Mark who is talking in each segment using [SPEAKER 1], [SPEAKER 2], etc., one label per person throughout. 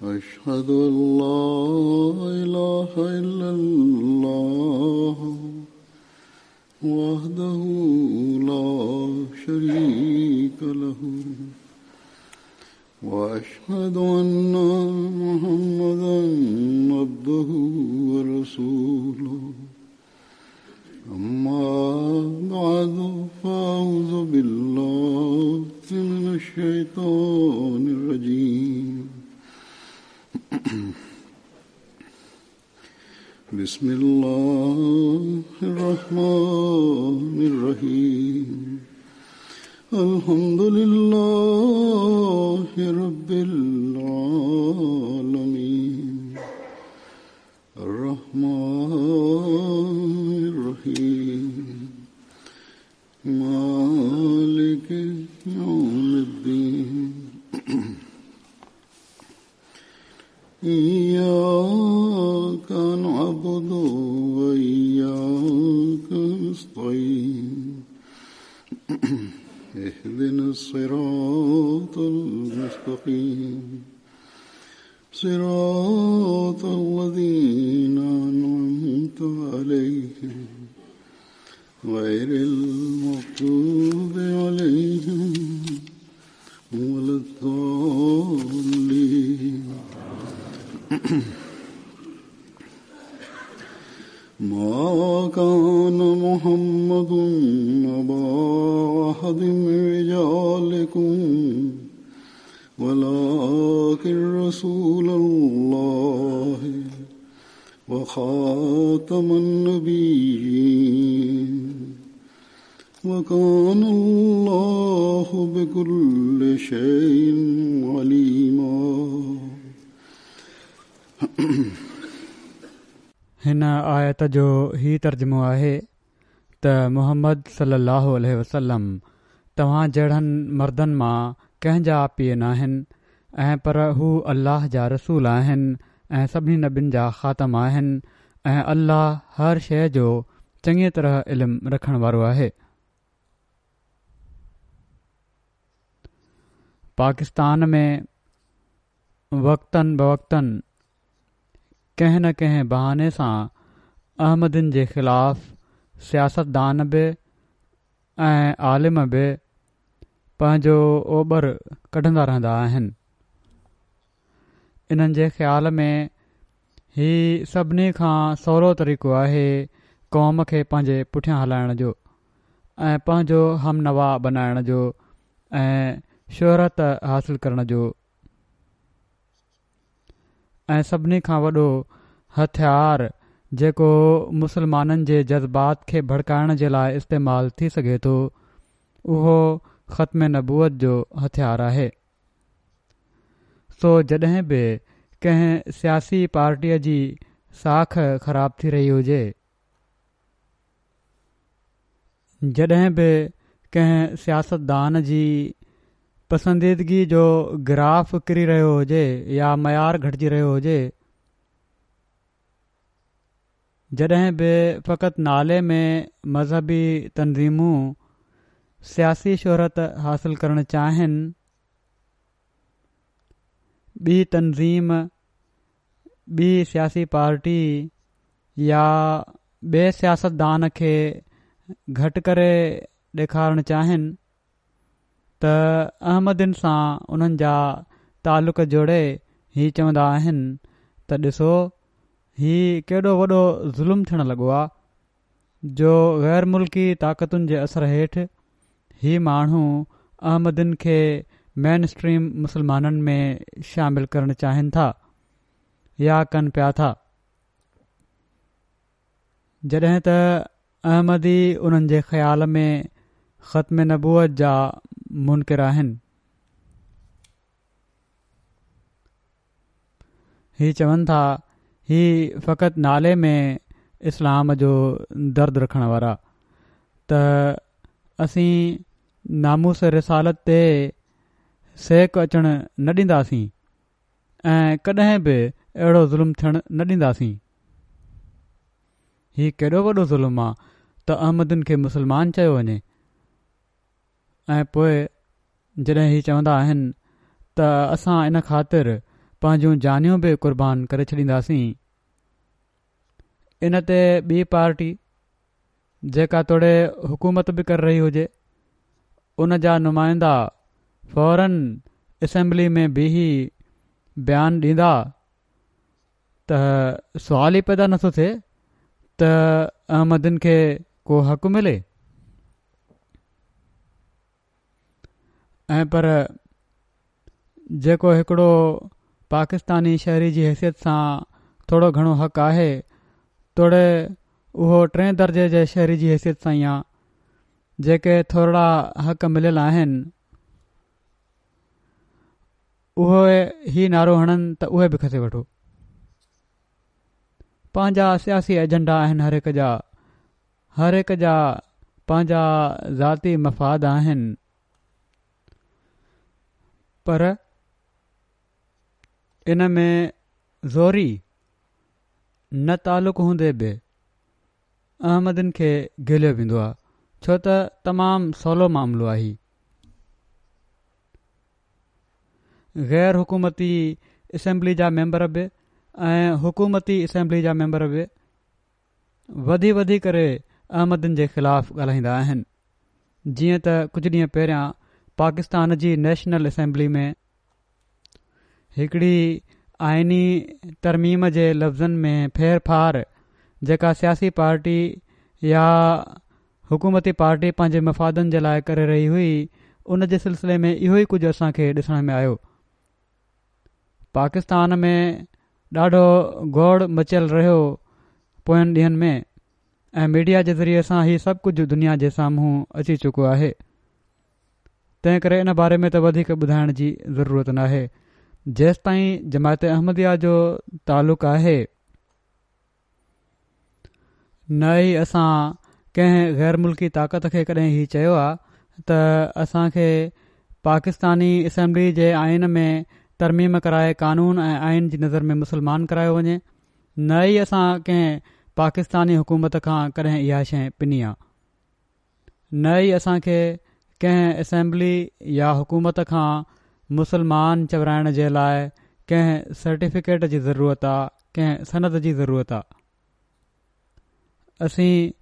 [SPEAKER 1] أشهد أن لا إله إلا الله وحده لا شريك له وأشهد أن محمدا عبده ورسوله. أما بعد، فأعوذ بالله من الشيطان الرجيم. بسم الله الرحمن الرحيم. الحمد لله رب العالمين الرحمن الرحيم مالك يوم الدين. إياك نعبد وإياك نستعين. اهدنا الصراط المستقيم، صراط الذين أنعمت عليهم غير المغضوب عليهم ولا الضالين. ما كان محمد أبا أحد من رجالكم ولكن رسول الله وخاتم النبيين، وكان الله بكل شيء عليما.
[SPEAKER 2] هن آيت جو هي ترجمو آهي ته محمد صلي الله عليه وسلم توهان جهڙن مردن مان ڪنهن جا پيء ناهن ۽ پر هو الله جا رسول آهن ۽ سڀني نبين جا خاتم آهن ۽ الله هر شيء جو چڱيء طرح علم رکڻ وارو آهي. پاڪستان ۾ وقتاً بوقتاً ڪنهن نه ڪنهن بهاني سان احمدين جي خلاف سياستدان به ۽ عالم به پنهنجو اوٻر ڪڍندا رهندا آهن. انهن جي خيال ۾ هي سڀني کان سولو طريقو آهي قوم کي پنهنجي پٺيان هلائڻ جو ۽ پنهنجو همنوا بنائڻ جو ۽ شهرت حاصل ڪرڻ جو. ۽ سڀني کان وڏو هٿيار جيڪو مسلمانن جي جذبات کي ڀڙڪائڻ جي لاء استعمال ٿي سگهي ٿو اهو ختم نبوت جو هٿيار آهي. سو جڏهن به ڪنهن سياسي پارٽيء جي ساک خراب ٿي رهي هجي، جڏهن به ڪنهن سياستدان جي پسنديدگي جو گراف ڪري رهيو هجي يا معيار گهٽجي رهيو هجي، جڏهن به فقط نالي ۾ مذهبي تنظيمون سياسي شهرت حاصل ڪرڻ چاهين، ٻي تنظيم، ٻي سياسي پارٽي يا ٻئي سياستدان کي گهٽ ڪري ڏيکارڻ چاهين ته احمدين سان انهن جا تعلق جوڙي هي چوندا آهن ته ڏسو هي ڪيڏو وڏو ظلم ٿيڻ لڳو آ جو غير ملڪي طاقتن جي اثر هيٺ هي ماڻهو احمدين کي مين اسٽريم مسلمانن ۾ شامل ڪرڻ چاهين ٿا يا ڪن پيا ٿا. جڏهن ته احمدي انهن جي خيال ۾ ختم نبوت جا منڪر آهن. هي چون ٿا هي فقط نالي ۾ اسلام جو درد رکڻ وارا ته اسين ناموس رسالت تي سيڪ اچڻ نه ڏينداسين. ۽ ڪڏهن به اهڙو ظلم ٿيڻ نه ڏينداسين. هي ڪيڏو وڏو ظلم آ ته احمدين کي مسلمان چيو وڃي ۽ پوء جڏهن هي چوندا آهن ته اسان ان خاطر پنهنجون جانيون به قربان ڪري ڇڏينداسين. ان تي ٻي پارٽي جيڪا توڙي حڪومت به ڪري رهي هجي ان جا نمائندا فورن اسيمبلي ۾ بيهي بيان ڏيندا ته سوال ئي پيدا نٿو ٿئي ته احمدين کي ڪو حق ملي. ۽ پر جيڪو هڪڙو پاڪستاني شهري جي حيثيت سان ٿورو گهڻو حق آهي توڙي اهو ٽئين درجي جي شهري جي حيثيت سان ئي آ جيڪي ٿورڙا حق مليل آهن اهي هي نعرو هڻن ته اهي به کسي وٺو. پنهنجا سياسي ايجنڊا آهن هر هڪ جا هر هڪ جا پنهنجا ذاتي مفاد آهن پر ان ۾ زوري نه تعلق هوندي به احمدين کي گهليو ويندو آهي ڇو ته تمام سولو معاملو آهي. غير حڪومتي اسيمبلي جا ميمبر به ۽ حڪومتي اسيمبلي جا ميمبر به وڌي وڌي ڪري احمدين جي خلاف ڳالهائيندا آهن جيئن ته ڪجهه ڏينهن پهريان پاڪستان جي نيشنل اسيمبلي ۾ هڪڙي آئيني ترميم جي لفظن ۾ ڦير ڦار جيڪا سياسي پارٽي يا حڪومتي پارٽي پنهنجي مفادن جي لاء ڪري رهي هئي ان جي سلسلي ۾ اهو ئي ڪجهه اسان کي ڏسڻ ۾ آيو پاڪستان ۾ ڏاڍو گوڙ مچيل رهيو پوين ڏينهن ۾ ۽ ميڊيا جي ذريعي سان هي سڀ ڪجهه دنيا جي سامهون اچي چڪو آهي تنهن ڪري ان باري ۾ ته وڌيڪ ٻڌائڻ جي ضرورت ناهي جيستائين جماعت احمديه جو تعلق آهي نه ئي اسان ڪنهن غير ملڪي طاقت کي ڪڏهن هي چيو آ ته اسان کي پاڪستاني اسيمبلي جي آئين ۾ ترميم ڪرائي قانون ۽ آئين جي نظر ۾ مسلمان ڪرايو وڃي نه ئي اسان ڪنهن پاڪستاني حڪومت کان ڪڏهن اها شيء پني آ نه ئي اسان کي ڪنهن اسيمبلي يا حڪومت کان مسلمان چورائڻ جي لاء ڪنهن سرٽيفڪيٽ جي ضرورت آ ڪنهن سند جي ضرورت آ. اسين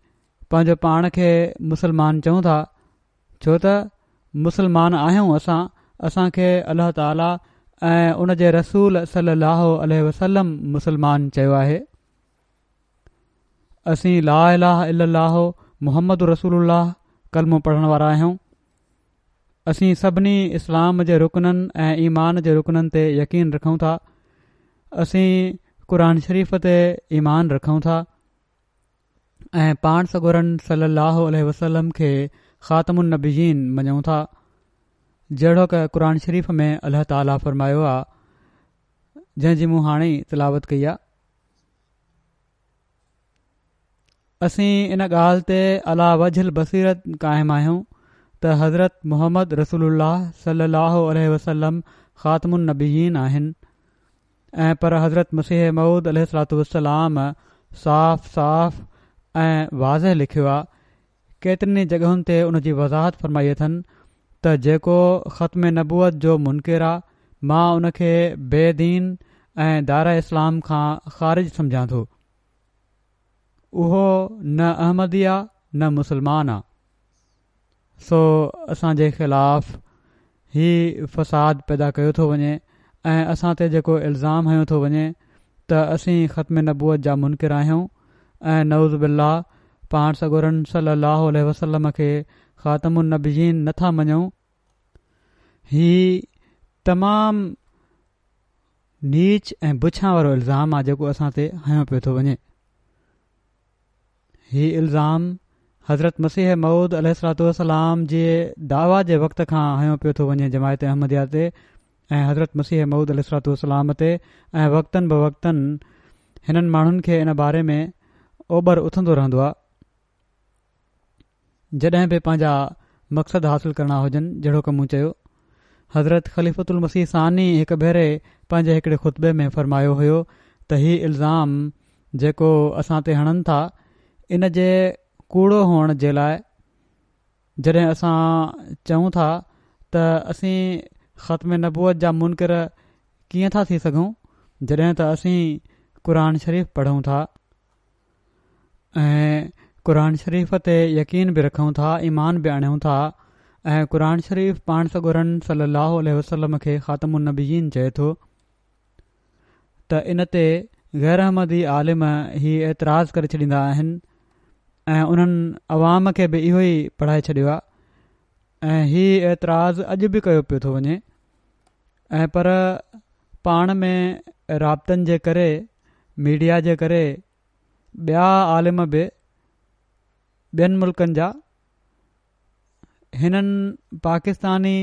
[SPEAKER 2] پنهنجو پاڻ کي مسلمان چئون ٿا ڇو ته مسلمان آهيون اسان اسان کي الله تعالي ۽ ان جي رسول صلي الله عليه وسلم مسلمان چيو آهي اسين لا اله الا الله محمد رسول الله ڪلمو پڙهڻ وارا آهيون اسين سڀني اسلام جي رڪنن ۽ ايمان جي رڪنن تي يقين رکون ٿا. اسين قرآن شريف تي ايمان رکون ٿا ۽ پاڻ سڳورن صلي الله عليه وسلم کي خاتم النبيين مڃون ٿا. جهڙوڪ قرآن شريف ۾ الله تعالي فرمايو آ جنهن جي مون هاڻي ئي تلاوت ڪئي آ. اسين ان ڳالهه تي عليٰ وجه البصيرت قائم آهيون ته حضرت محمد رسول الله صلي الله عليه وسلم خاتم النبيين آهن ۽ پر حضرت مسيح موعود عليه الصلوة والسلام صاف صاف ۽ واضح لکيو آ ڪيترين ئي جڳهن تي ان جي وضاحت فرمائي اٿن ته جيڪو ختم نبوت جو منڪر آ مان ان کي بي دين ۽ دائره اسلام کان خارج سمجهان ٿو. اهو نه احمدي آ نه مسلمان آ سو اسان جي خلاف هي فساد پيدا ڪيو ٿو وڃي ۽ اسان تي جيڪو الزام هنيو ٿو وڃي ته اسين ختم نبوت جا منڪر آهيون ۽ نعوذ بالله پاڻ سڳورن صلي الله عليه وسلم کي خاتم النبيين نه ٿا مڃون هي تمام نيچ ۽ بڇان وارو الزام آ جيڪو اسان تي هنيو پيو ٿو وڃي. هي الزام حضرت مسيح موعود عليه الصلوة والسلام جي دعويٰ جي وقت کان هنيو پيو ٿو وڃي جماعت احمديه تي ۽ حضرت مسيح موعود عليه الصلوة والسلام تي ۽ وقتاً بوقتاً هنن ماڻهن کي ان باري ۾ اوٻر اٿندو رهندو آ. جڏهن به پنهنجا مقصد حاصل ڪرڻا هجن جهڙوڪ مون چيو حضرت خليفة المسيح ثاني هڪ ڀيري پنهنجي هڪڙي خطبي ۾ فرمايو هيو ته هي الزام جيڪو اسان تي هڻن ٿا ان جي ڪوڙو هئڻ جي لاء جڏهن اسان چئون ٿا ته اسين ختم نبوت جا منڪر ڪيئن ٿا ٿي سگهون؟ جڏهن ته اسين قرآن شريف پڙهون ٿا ۽ قرآن شريف تي يقين به رکون ٿا، ايمان به آڻيون ٿا ۽ قرآن شريف پاڻ سڳورن صلي الله عليه وسلم کي خاتم النبيين چئي ٿو ته ان تي غير احمدي عالم هي اعتراض ڪري ڇڏيندا آهن ۽ انهن عوام کي به اهو ئي پڙهائي ڇڏيو آهي ۽ هي اعتراض اڄ به ڪيو پيو ٿو وڃي ۽ پر پاڻ ۾ رابطن جي ڪري ميڊيا جي ڪري ٻيا عالم به ٻين ملڪن جا هنن پاڪستاني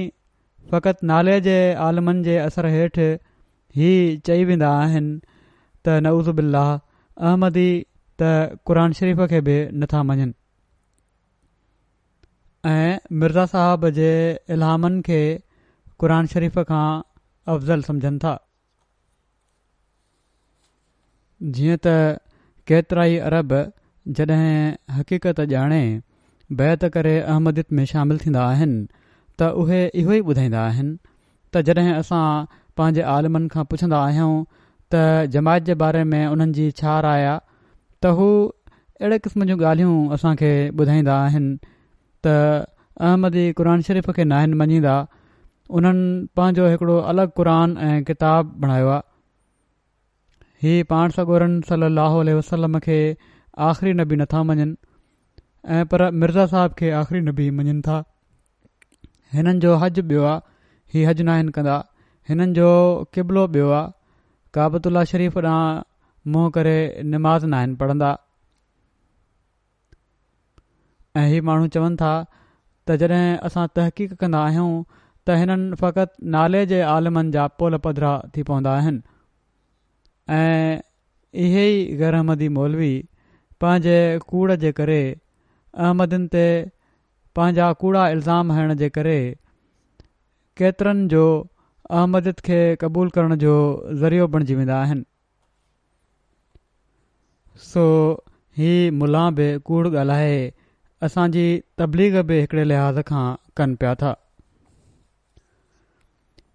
[SPEAKER 2] فقط نالي جي عالمن جي اثر هيٺ هي چئي ويندا آهن ته نعوذ بالله احمدي ته قرآن شريف کي به نٿا مڃن. ۽ مرزا صاحب جي الهامن کي قرآن شريف کان افضل سمجهن ٿا. جيئن ته ڪيترائي عرب جڏهن حقيقت ڄاڻي بيعت ڪري احمديت ۾ شامل ٿيندا آهن ته اهي اهو ئي ٻڌائيندا آهن ته جڏهن اسان پنهنجي عالمن کان پڇندا آهيون ته جماعت جي باري ۾ انهن جي ڇا راء آ ته هو اهڙي قسم جون ڳالهيون اسان کي ٻڌائيندا آهن ته احمدي قرآن شريف کي ناهن مڃيندا انهن پنهنجو هڪڙو الڳ قرآن ۽ ڪتاب بڻايو آ هي پاڻ سڳورن صلي الله عليه وسلم کي آخري نبي نٿا مڃن ۽ پر مرزا صاحب کي آخري نبي مڃن ٿا هنن جو حج ٻيو آ، هي حج ناهن ڪندا، هنن جو قبلو ٻيو آ، ڪعبة الله شريف ڏانهن منهن ڪري نماز ناهن پڙهندا ۽ هي ماڻهو چون ٿا ته جڏهن اسان تحقيق ڪندا آهيون ته هنن فقط نالي جي عالمن جا پول پڌرا ٿي پوندا آهن ۽ اهي ئي غير احمدي مولوي پنهنجي ڪوڙ جي ڪري احمدين تي پنهنجا ڪوڙا الزام هڻڻ جي ڪري ڪيترن جو احمديت کي قبول ڪرڻ جو ذريعو بڻجي ويندا آهن. سو هي ملان به ڪوڙ ڳالهائي اسان جي تبليغ به هڪڙي لحاظ کان ڪن پيا ٿا.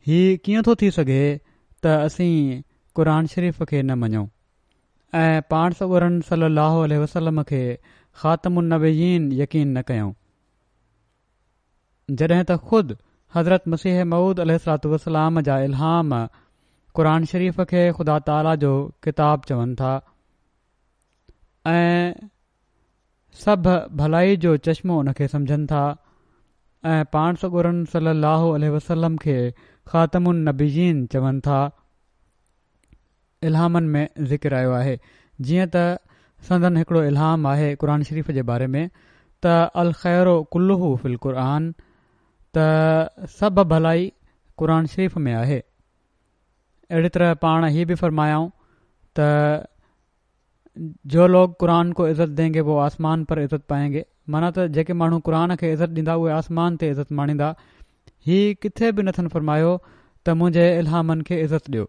[SPEAKER 2] هي ڪيئن ٿو ٿي سگهي ته اسين قرآن شريف کي نه مڃون؟ ۽ پاڻ سڳورن صلّي اللّٰه عليه وسلّم کي خاتم النبيين يقين نه ڪيون. جڏهن ته خود حضرت مسيح موعود عليه الصلوة والسلام جا الهام قرآن شريف کي خدا تعاليٰ جو ڪتاب چون ٿا ۽ سڀ ڀلائي جو چشمو ان کي سمجهن ٿا ۽ پاڻ سڳورن صلّي اللّٰه عليه وسلّم کي خاتم النبيين چون ٿا. الهامن ۾ ذڪر آيو آهي جيئن ته سندن هڪڙو الهام آهي قرآن شريف جي باري ۾ ته الخير ڪله في القرآن ته سڀ ڀلائي قرآن شريف ۾ آهي اهڙي طرح پاڻ هي به فرمايائون ته جو لوگ قرآن ڪو عزت دين گي وو آسمان پر عزت پائين گي معنيٰ ته جيڪي ماڻهو قرآن کي عزت ڏيندا اهي آسمان تي عزت ماڻيندا هي ڪٿي به نٿن فرمايو ته منهنجي الهامن کي عزت ڏيو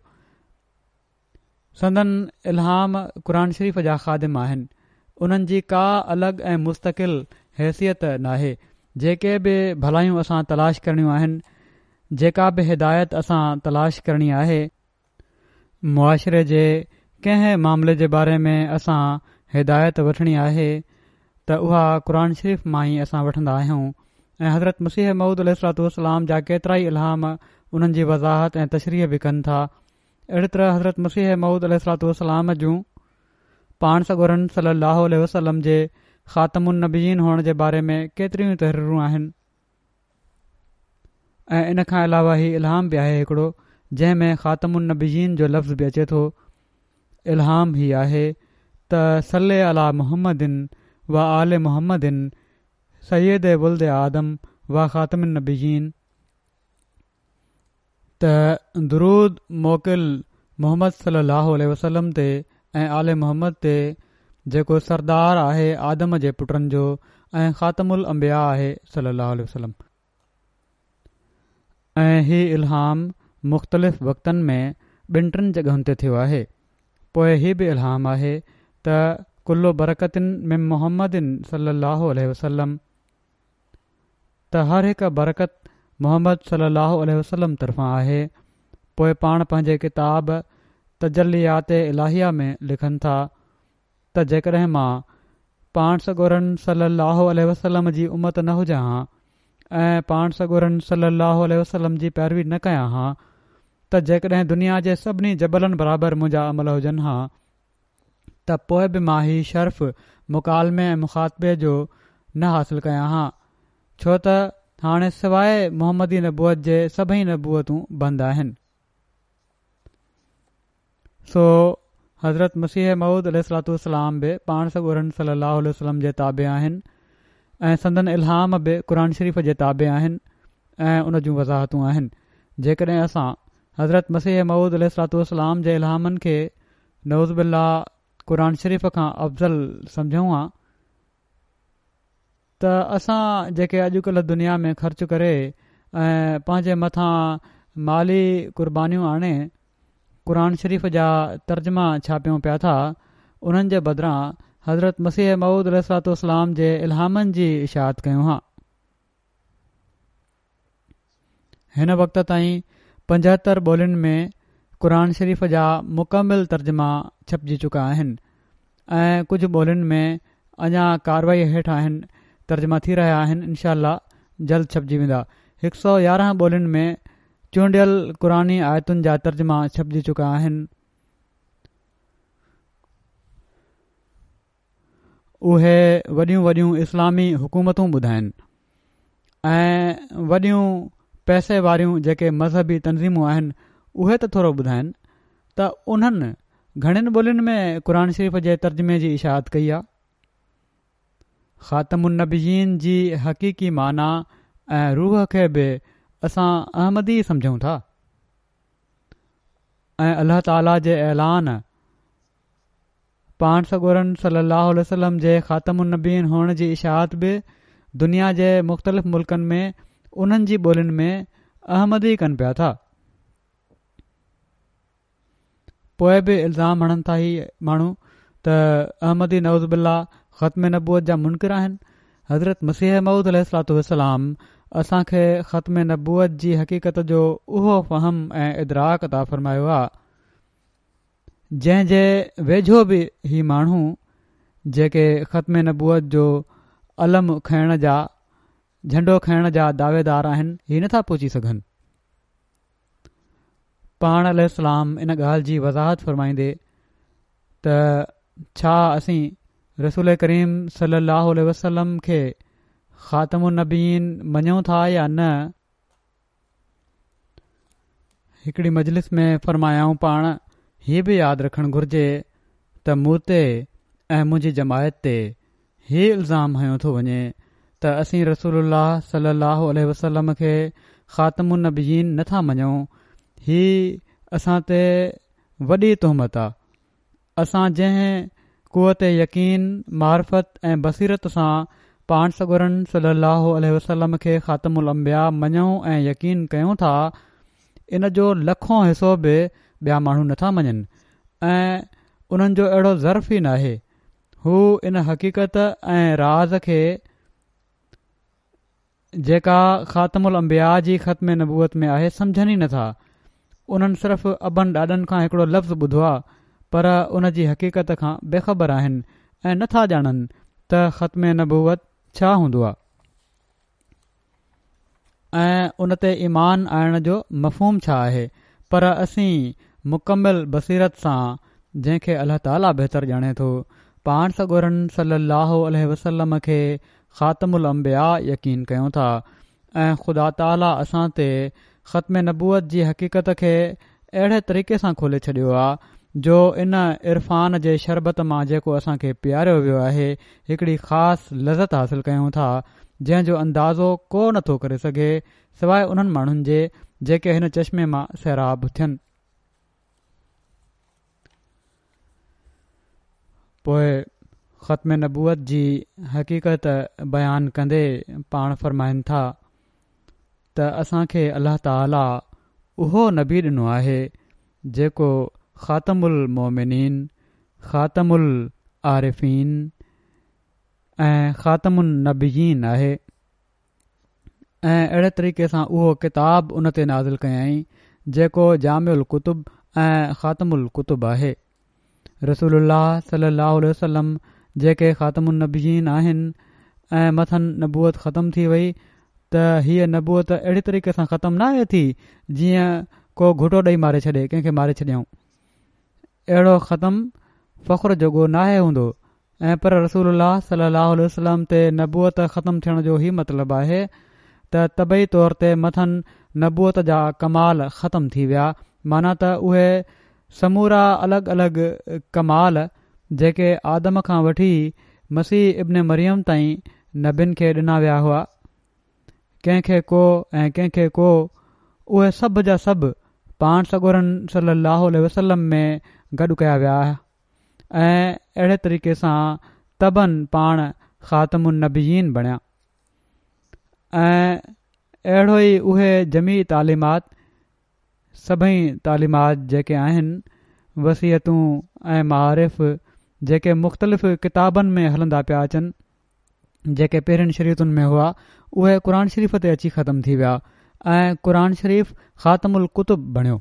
[SPEAKER 2] سندن الهام قرآن شريف جا خادم آهن انهن جي ڪا الڳ ۽ مستقل حيثيت ناهي جيڪي به ڀلايون اسان تلاش ڪرڻيون آهن جيڪا به هدايت اسان تلاش ڪرڻي آهي معاشري جي ڪنهن معاملي جي باري ۾ اسان هدايت وٺڻي آهي ته اها قرآن شريف مان ئي اسان وٺندا آهيون ۽ حضرت مسيح موعود عليه الصلوة والسلام جا ڪيترائي الهام انهن جي وضاحت ۽ تشريح به ڪن ٿا اهڙي طرح حضرت مسيح موعود عليه الصلوة والسلام جون پاڻ سڳورن صلي الله عليه وسلم جي خاتم النبيين هئڻ جي باري ۾ ڪيتريون ئي تحريرون آهن. ۽ ان کان علاوه هي الهام به آهي هڪڙو جنهن ۾ خاتم النبيين جو لفظ به اچي ٿو الهام هي آهي ته صل علي محمد و آل محمد سيد ولد آدم و خاتم النبيين ته درود موڪل محمد صلي الله عليه وسلم تي ۽ آل محمد تي جيڪو سردار آهي آدم جي پٽن جو ۽ خاتم الانبياء آهي صلي الله عليه وسلم. ۽ هي الهام مختلف وقتن ۾ ٻن ٽن جڳهن تي ٿيو آهي. پوء هي به الهام آهي ته ڪل برڪة من محمد صلي الله عليه وسلم ته هر هڪ برڪت محمد صلي الله عليه وسلم طرفان آهي پوء پاڻ پنهنجي ڪتاب تجليات الاهيه ۾ لکن ٿا ته جيڪڏهن مان پاڻ سڳورن صلّي اللّٰه عليه وسلّم جي امت نه هجان ها ۽ پاڻ سڳورن صلّي اللّٰه عليه وسلّم جي پيروي نه ڪيان ها ته جيڪڏهن دنيا جي سڀني جبلن برابر منهنجا عمل هجن ها ته پوء به مان هي شرف مڪالمي ۽ مخاطبي جو نه حاصل ڪيان ها، ڇو ته هاڻي سواء محمدي نبوت جي سڀئي نبوتون بند آهن. سو حضرت مسيح موعود عليه الصلوة والسلام به پاڻ سڳورن صلي الله عليه وسلم جي تابع آهن ۽ سندن الهام به قرآن شريف جي تابع آهن ۽ ان جون وضاحتون آهن. جيڪڏهن اسان حضرت مسيح موعود عليه الصلوة والسلام جي الهامن کي نعوذ بالله قرآن شريف کان افضل سمجهون ها ته اسان جيڪي اڄڪلهه دنيا ۾ خرچ ڪري ۽ پنهنجي مٿان مالي قربانيون آڻي قرآن شريف جا ترجما ڇاپيون پيا ٿا انهن جي بدران حضرت مسيح موعود عليه الصلوة والسلام جي الهامن جي اشاعت ڪيون ها. هن وقت تائين 75 ٻولين ۾ قرآن شريف جا مڪمل ترجما ڇپجي چڪا آهن ۽ ڪجهه ٻولين ۾ اڃا ڪارروائي هيٺ آهن ترجما ٿي رهيا آهن انشاء الله جلد ڇپجي ويندا. 111 ٻولين ۾ چونڊيل قرآني آيتن جا ترجما ڇپجي چڪا آهن. اهي وڏيون وڏيون اسلامي حڪومتون ٻڌائن ۽ وڏيون پئسي واريون جيڪي مذهبي تنظيمون آهن اهي ته ٿورو ٻڌائن ته انهن گهڻين ٻولين ۾ قرآن شريف جي ترجمي جي اشاعت ڪئي آهي. خاتم النبيين جي حقيقي معنيٰ ۽ روح کي به اسان احمدي سمجهون ٿا ۽ الله تعاليٰ جي اعلان پاڻ سڳورن صلّي اللّٰه عليه وسلّم جي خاتم النبيين هئڻ جي اشاعت به دنيا جي مختلف ملڪن ۾ انهن جي ٻولين ۾ احمدي ڪن پيا ٿا. پوء به الزام هڻن ٿا هي ماڻهو ته احمدي نعوذ بالله ختم نبوت جا منڪر آهن. حضرت مسيح موعود عليه الصلوة والسلام اسان کي ختم نبوت جي حقيقت جو اهو فهم ۽ ادراڪ عطا فرمايو آ جنهن جي ويجهو به هي ماڻهو جيڪي ختم نبوت جو علم کڻڻ جا جهنڊو کڻڻ جا دعويدار آهن هي نٿا پهچي سگهن. پاڻ عليه السلام ان ڳالهه جي وضاحت فرمائيندي ته ڇا اسين رسول ڪريم صلي الله عليه وسلم کي خاتم النبيين مڃون ٿا يا نه؟ هڪڙي مجلس ۾ فرمايائون پاڻ هي به ياد رکڻ گهرجي ته مون تي ۽ منهنجي جماعت تي هي الزام هنيو ٿو وڃي ته اسين رسول الله صلي الله عليه وسلم کي خاتم النبيين نه ٿا مڃون هي اسان تي وڏي تهمت آ اسان جنهن قوت يقين، معرفت ۽ بصيرت سان پاڻ سڳورن صلّي اللّٰه عليه وسلّم کي خاتم الانبياء مڃون ۽ يقين ڪيون ٿا، ان جو لکون حصو به ٻيا ماڻهو نٿا مڃن ۽ انهن جو اهڙو ظرف ئي ناهي. هو ان حقيقت ۽ راز کي جيڪا خاتم الانبياء جي ختم نبوت ۾ آهي سمجهن ئي نٿا. انهن صرف ابن ڏاڏن کان هڪڙو لفظ ٻڌو آ پر ان جي حقيقت کان بي خبر آهن ۽ نٿا ڄاڻن ته ختم نبوت ڇا هوندو آ ۽ ان تي ايمان آڻڻ جو مفهوم ڇا آهي پر اسين مڪمل بصيرت سان جنهن کي الله تعاليٰ بهتر ڄاڻي ٿو پاڻ سڳورن صلي الله عليه وسلم کي خاتم الانبياء يقين ڪيون ٿا ۽ خدا تعاليٰ اسان تي ختم نبوت جي حقيقت کي اهڙي طريقي سان کولي ڇڏيو آ جو ان عرفان جي شربت مان جيڪو اسان کي پياريو ويو آهي هڪڙي خاص لذت حاصل ڪيون ٿا جنهن جو اندازو ڪو نه ٿو ڪري سگهي سواء انهن ماڻهن جي جيڪي هن چشمي مان سيراب ٿين. پوء ختم نبوت جي حقيقت بيان ڪندي پاڻ فرمائن ٿا ته اسان کي الله تعالي اهو نبي ڏنو آهي جيڪو خاتم المومنين، خاتم العارفين ۽ خاتم النبيين آهي. ۽ اهڙي طريقي سان اهو ڪتاب ان تي نازل ڪيائين جيڪو جامع الڪتب ۽ خاتم الڪتب آهي. رسول الله صلي الله عليه وسلم جيڪي خاتم النبيين آهن ۽ مٿن نبوت ختم ٿي وئي ته هيء نبوت اهڙي طريقي سان ختم ناهي ٿي جيئن ڪو گهٽو ڏئي ماري ڇڏي ڪنهن کي ماري ڇڏيائون اهڙو ختم فخر جوڳو ناهي هوندو ۽ پر رسول الله صلي الله عليه وسلم تي نبوت ختم ٿيڻ جو هي مطلب آهي ته طبعي طور تي مٿن نبوت جا ڪمال ختم ٿي ويا معنيٰ ته اهي سمورا الڳ الڳ ڪمال جيڪي آدم کان وٺي مسيح ابن مريم تائين نبين کي ڏنا ويا هئا ڪنهن کي ڪو ۽ ڪنهن کي ڪو اهي سڀ جا سڀ پاڻ سڳورن صلي الله عليه وسلم ۾ گڏ ڪيا ويا ۽ اهڙي طريقي سان طبعاً پاڻ خاتم النبيين بڻيا ۽ اهڙو ئي اهي جميع تعليمات سڀئي تعليمات جيڪي آهن وصيتون ۽ معارف جيڪي مختلف ڪتابن ۾ هلندا پيا اچن جيڪي پهرين شريعتن ۾ هئا اهي قرآن شريف تي اچي ختم ٿي ويا ۽ قرآن شريف خاتم الڪتب بڻيو.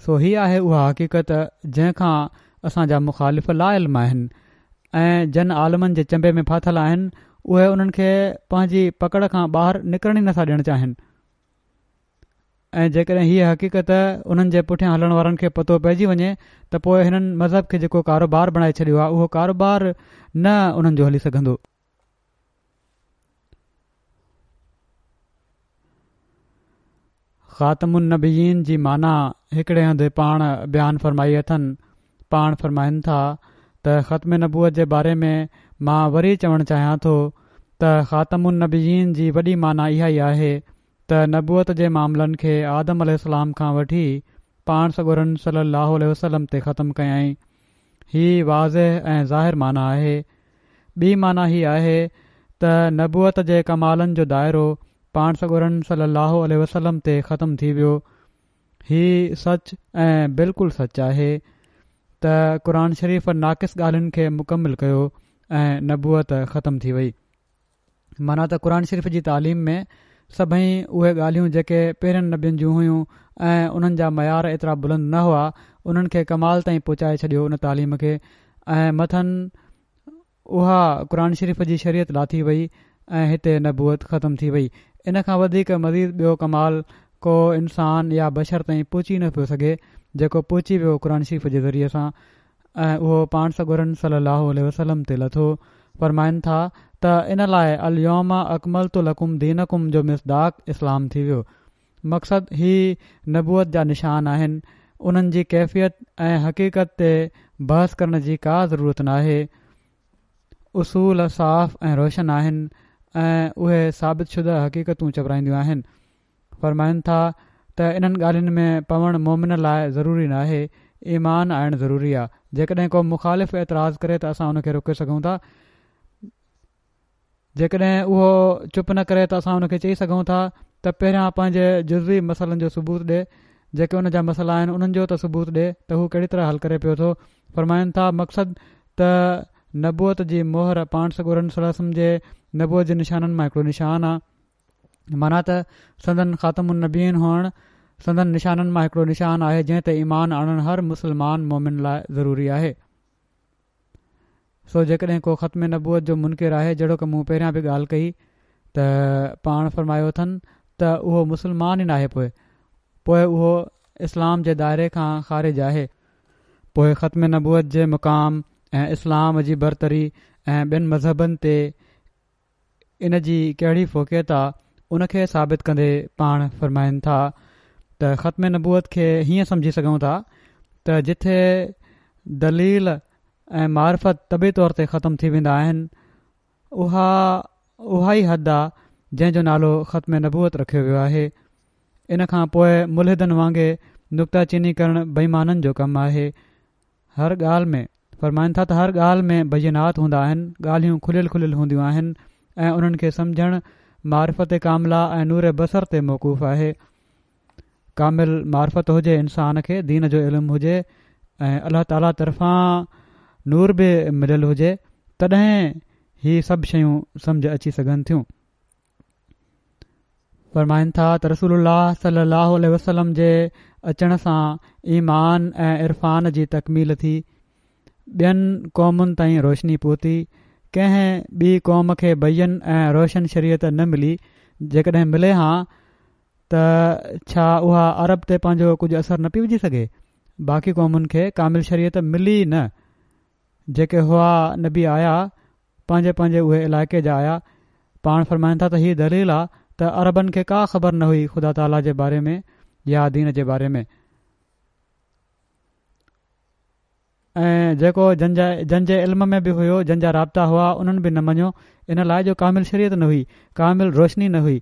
[SPEAKER 2] سو هي آهي اها حقيقت جنهن کان اسان جا مخالف لاعلم آهن ۽ جن عالمن جي چنبي ۾ ڦاٿل آهن اهي انهن کي پنهنجي پڪڙ کان ٻاهر نڪرڻ ئي نٿا ڏيڻ چاهين ۽ جيڪڏهن هيء حقيقت انهن جي پٺيان هلڻ وارن کي پتو پئجي وڃي ته پوء هنن مذهب کي جيڪو ڪاروبار بڻائي ڇڏيو آهي اهو ڪاروبار نه انهن جو هلي سگهندو. خاتم النبيين جي معنيٰ هڪڙي هنڌ پاڻ بيان فرمائي اٿن، پاڻ فرمائن ٿا ته ختم نبوت جي باري ۾ مان وري چوڻ چاهيان ٿو ته خاتم النبيين جي وڏي معنيٰ اها ئي آهي ته نبوت جي معاملن کي آدم عليه السلام کان وٺي پاڻ سڳورن صلي الله عليه وسلم تي ختم ڪيائين. هي واضح ۽ ظاهر معنيٰ آهي. ٻي معنيٰ هي آهي ته نبوت جي ڪمالن جو دائرو پاڻ سڳورن صلّي اللّٰه عليه وسلّم تي ختم ٿي ويو. هي سچ ۽ بلڪل سچ آهي ته قرآن شريف ناقص ڳالهين کي مڪمل ڪيو ۽ نبوت ختم ٿي وئي. معنيٰ ته قرآن شريف جي تعليم ۾ سڀئي اهي ڳالهيون جيڪي پهرين نبين جون هيون ۽ انهن جا معيار ايترا بلند نه هئا انهن کي ڪمال تائين پهچائي ڇڏيو ان تعليم کي ۽ مٿن اها قرآن شريف جي شريعت لاٿي وئي ۽ هتي نبوت ختم ٿي وئي. ان کان وڌيڪ مزيد ٻيو ڪمال ڪو انسان يا بشر تائين پهچي نه پيو سگهي جيڪو پهچي ويو قرآن شريف جي ذريعي سان ۽ اهو پاڻ سڳورن صلي الله عليه وسلم تي لٿو. فرمائن ٿا ته ان لاء اليوم اڪملت لڪم دينڪم جو مصداق اسلام ٿي ويو. مقصد هي نبوت جا نشان آهن، انهن جي ڪيفيت ۽ حقيقت تي بحث ڪرڻ جي ڪا ضرورت ناهي. اصول صاف ۽ روشن آهن ۽ اهي ثابت شده حقيقتون چورائينديون آهن. فرمائن ٿا ته انهن ڳالهين ۾ پوڻ مؤمن لاء ضروري ناهي، ايمان آڻڻ ضروري آ. جيڪڏهن ڪو مخالف اعتراض ڪري ته اسان ان کي روڪي سگهون ٿا. جيڪڏهن اهو چپ نه ڪري ته اسان ان کي چئي سگهون ٿا ته پهريان پنهنجي جزوي مسئلن جو ثبوت ڏي، جيڪي ان جا مسئلا آهن انهن جو ته ثبوت ڏي ته هو ڪهڙي طرح حل ڪري پيو ٿو. فرمائن ٿا، مقصد ته نبوت جي مهر پاڻ سڳورن صلي الله عليه وسلم جي نبوت جي نشانن مان هڪڙو نشان آ. معنيٰ ته سندن خاتم النبيين هئڻ سندن نشانن مان هڪڙو نشان آهي جنهن تي ايمان آڻڻ هر مسلمان مؤمن لاء ضروري آهي. سو جيڪڏهن ڪو ختم نبوت جو منڪر آهي جهڙوڪ مون پهريان به ڳالهه ڪئي ته پاڻ فرمايو اٿن ته اهو مسلمان ئي ناهي پوء پوء اهو اسلام جي دائري کان خارج آهي. پوء ختم نبوت جي مقام ۽ اسلام جي برتري ۽ ٻين مذهبن تي ان جي ڪهڙي فوقيت آ ان کي ثابت ڪندي پاڻ فرمائن ٿا ته ختم نبوت کي هيئن سمجهي سگهون ٿا ته جٿي دليل ۽ معرفت طبعي طور تي ختم ٿي ويندا آهن اها اها ئي حد آ جنهن جو نالو ختم نبوت رکيو ويو آهي ان کان پوء ملحدن وانگي نڪته چيني ڪرڻ بي ايمانن جو ڪم آهي هر ڳالهه ۾، فرمائن ٿا ته هر ڳالهه ۾ بينات هوندا آهن، ڳالهيون کليل کليل هونديون آهن ۽ انهن کي سمجهڻ معرفت ڪامله ۽ نور بصر تي موقوف آهي. ڪامل معرفت هجي انسان کي دين جو علم هجي ۽ الله تعاليٰ طرفان نور به مليل هجي تڏهن هي سڀ شيون سمجهه اچي سگهن ٿيون. فرمائن ٿا ته رسول الله صلي الله عليه وسلم جي اچڻ سان ايمان ۽ عرفان جي تڪميل ٿي، ٻين قومن تائين روشني پهتي، ڪنهن ٻي قوم کي بين ۽ روشن شريعت نه ملي، جيڪڏهن ملي هان ته ڇا اها عرب تي پنهنجو ڪجهه اثر نه پئي وجهي سگهي؟ باقي قومن کي ڪامل شريعت ملي ئي نه، جيڪي هئا نبي آيا پنهنجي پنهنجي اهي علائقي جا آيا، پاڻ فرمائن ٿا ته هي دليل آ ته عربن کي ڪا خبر نه هئي خدا تعاليٰ جي باري ۾ يا دين جي باري ۾. ۽ جيڪو جن جا جن جي علم ۾ به هيو جن جا رابطا هئا انهن به نه مڃيو ان لاء جو ڪامل شريعت نه هئي ڪامل روشني نه هئي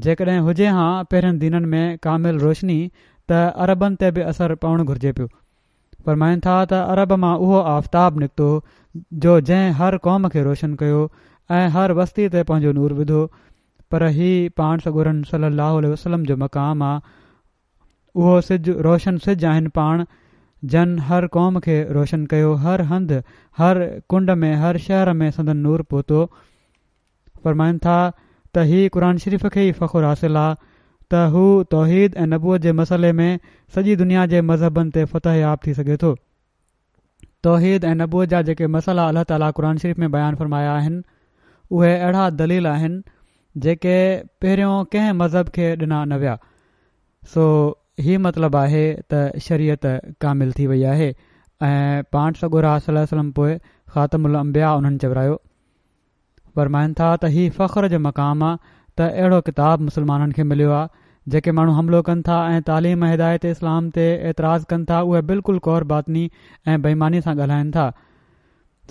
[SPEAKER 2] جيڪڏهن هجي هان پهرين دينن ۾ ڪامل روشني ته عربن تي به اثر پوڻ گهرجي پيو فرمائن ٿا ته عرب مان اهو آفتاب نڪتو جو جنهن هر قوم کي روشن ڪيو ۽ هر وستي تي پنهنجو نور وڌو پر هي پاڻ سڳورن صلي الله عليه وسلم جو مقام آ اهو سج روشن سج آهن پاڻ جن هر قوم کي روشن ڪيو هر هنڌ هر ڪنڊ ۾ هر شهر ۾ سندن نور پهتو فرمائن ٿا ته هي قرآن شريف کي ئي فخر حاصل آ ته هو توحيد ۽ نبوت جي مسئلي ۾ سڄي دنيا جي مذهبن تي فتح ياب ٿي سگهي ٿو. توحيد ۽ نبوت جا جيڪي مسئلا الله تعاليٰ قرآن شريف ۾ بيان فرمايا آهن اهي اهڙا دليل آهن جيڪي پهريون ڪنهن مذهب کي ڏنا نه ويا سو هي مطلب آهي ته شريعت ڪامل ٿي وئي آهي ۽ پاڻ سڳورا صلي الله عليه وسلم پوء خاتم الانبياء انهن چورايو فرمائن ٿا ته هي فخر جو مقام آ ته اهڙو ڪتاب مسلمانن کي مليو آ، جيڪي ماڻهو حملو ڪن ٿا ۽ تعليم ۽ هدايت اسلام تي اعتراض ڪن ٿا اهي بلڪل ڪور باطني ۽ بي ايماني سان ڳالهائن ٿا.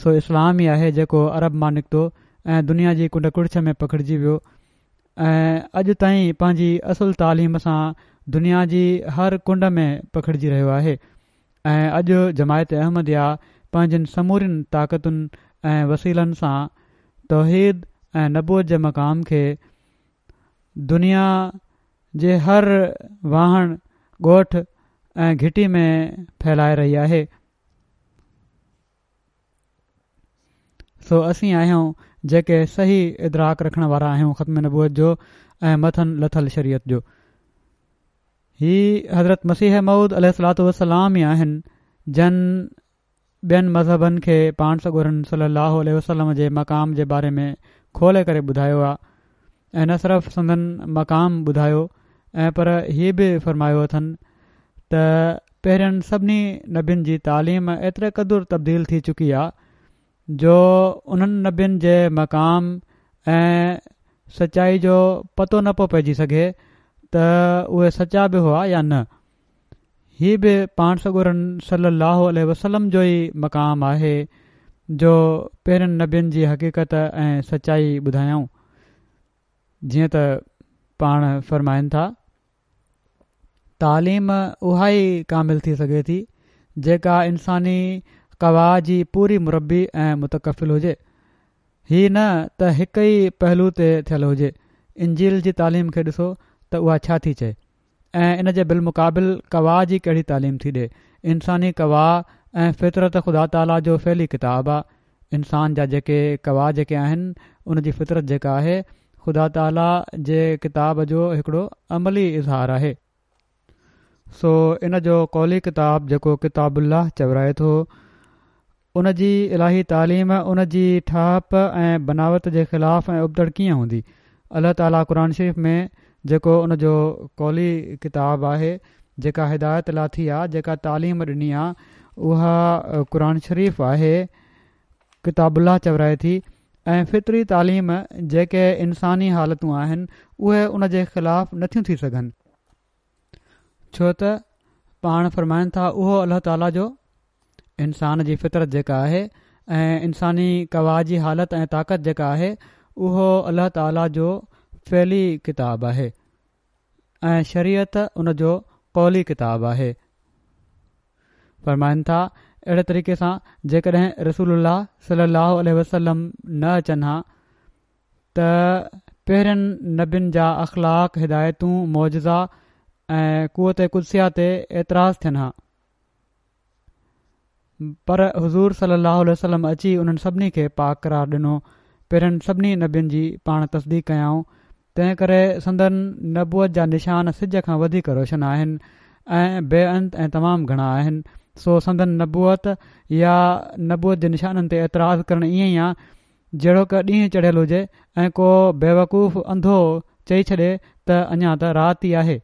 [SPEAKER 2] سو اسلام ئي آهي جيڪو عرب مان نڪتو ۽ دنيا جي ڪنڊ ڪڙڇ ۾ پکڙجي ويو ۽ اڄ تائين پنهنجي اصل تعليم سان دنيا جي هر ڪنڊ ۾ پکڙجي رهيو آهي. ۽ اڄ جماعت احمديه پنهنجين سمورين طاقتن ۽ وسيلن سان توحيد ۽ نبوت جي مقام کي دنيا جي هر واهڻ، ڳوٺ ۽ گهٽي ۾ ڦهلائي رهي آهي. سو اسين آهيون جيڪي صحيح ادراڪ رکڻ وارا آهيون ختم نبوت جو ۽ مٿن لٿل شريعت جو. هي حضرت مسيح موعود عليه الصلوة والسلام ئي آهن جن ٻين مذهبن کي پاڻ سڳورن صلي الله عليه وسلم جي مقام جي باري ۾ کولي ڪري ٻڌايو آ ۽ نه صرف سندن مقام ٻڌايو ۽ پر هي به فرمايو اٿن ته پهرين سڀني نبين جي تعليم ايتري قدر تبديل ٿي چڪي آ جو انهن نبين جي مقام ۽ سچائي جو پتو نه پيو پئجي سگهي ته اهي سچا به هئا يا نه. هي به پاڻ سڳورن صلّي اللّٰه عليه وسلّم جو ئي مقام آهي جو پهرين نبين جي حقيقت ۽ سچائي ٻڌايائون. جيئن ته پاڻ فرمائن ٿا. تعليم اها ئي ڪامل ٿي سگهي ٿي جيڪا انساني قوا جي پوري مربي ۽ متڪفل هجي. هي نه ته هڪ ئي پهلو تي ٿيل هجي. انجيل جي تعليم کي ڏسو ته اها ڇا ٿي چئي ۽ ان جي بالمقابل قوا جي ڪهڙي تعليم ٿي ڏي. انساني قوا ۽ فطرت خدا تعاليٰ جو فعلي ڪتاب آ. انسان جا جيڪي قوا جيڪي آهن ان جي فطرت جيڪا آهي خدا تعاليٰ جي ڪتاب جو هڪڙو عملي اظهار آهي. سو ان جو قولي ڪتاب جيڪو ڪتاب الله چورائي ٿو ان جي الاهي تعليم ان جي ٺاهپ ۽ بناوت جي خلاف ۽ ابتڙ ڪيئن هوندي؟ الله تعاليٰ قرآن شريف ۾ جيڪو ان جو قولي ڪتاب آهي جيڪا هدايت لاٿي آ جيڪا تعليم ڏني آ اها قرآن شريف آهي ڪتاب الله چورائي ٿي ۽ فطري تعليم جيڪي انساني حالتون آهن اهي ان جي خلاف نٿيون ٿي سگهن ڇو ته پاڻ فرمائن ٿا اهو الله تعاليٰ جو انسان جي فطرت جيڪا آهي ۽ انساني قوا جي حالت ۽ طاقت جيڪا آهي اهو الله تعاليٰ جو فعلي ڪتاب آهي ۽ شريعت ان جو قولي ڪتاب آهي. فرمائن ٿا، اهڙي طريقي سان جيڪڏهن رسول الله صلي الله عليه وسلم نه اچن ها ته پهرين نبين جا اخلاق، هدايتون، معجزا ۽ قوت قدسيه تي اعتراض ٿين ها. پر حضور صلي الله عليه وسلم اچي انهن سڀني کي پاڪ قرار ڏنو، پهرين سڀني نبين جي پاڻ تصديق ڪيائون، تنهن ڪري سندن نبوت جا نشان سج کان وڌيڪ روشن آهن ۽ بي انت ۽ تمام گهڻا آهن، سو سندن نبوت يا نبوت جي نشانن تي اعتراض ڪرڻ ائين ئي آ جهڙوڪ ڏينهن چڙهيل هجي ۽ ڪو بيوقوف انڌو چئي ڇڏي ته اڃا ته رات ئي آهي.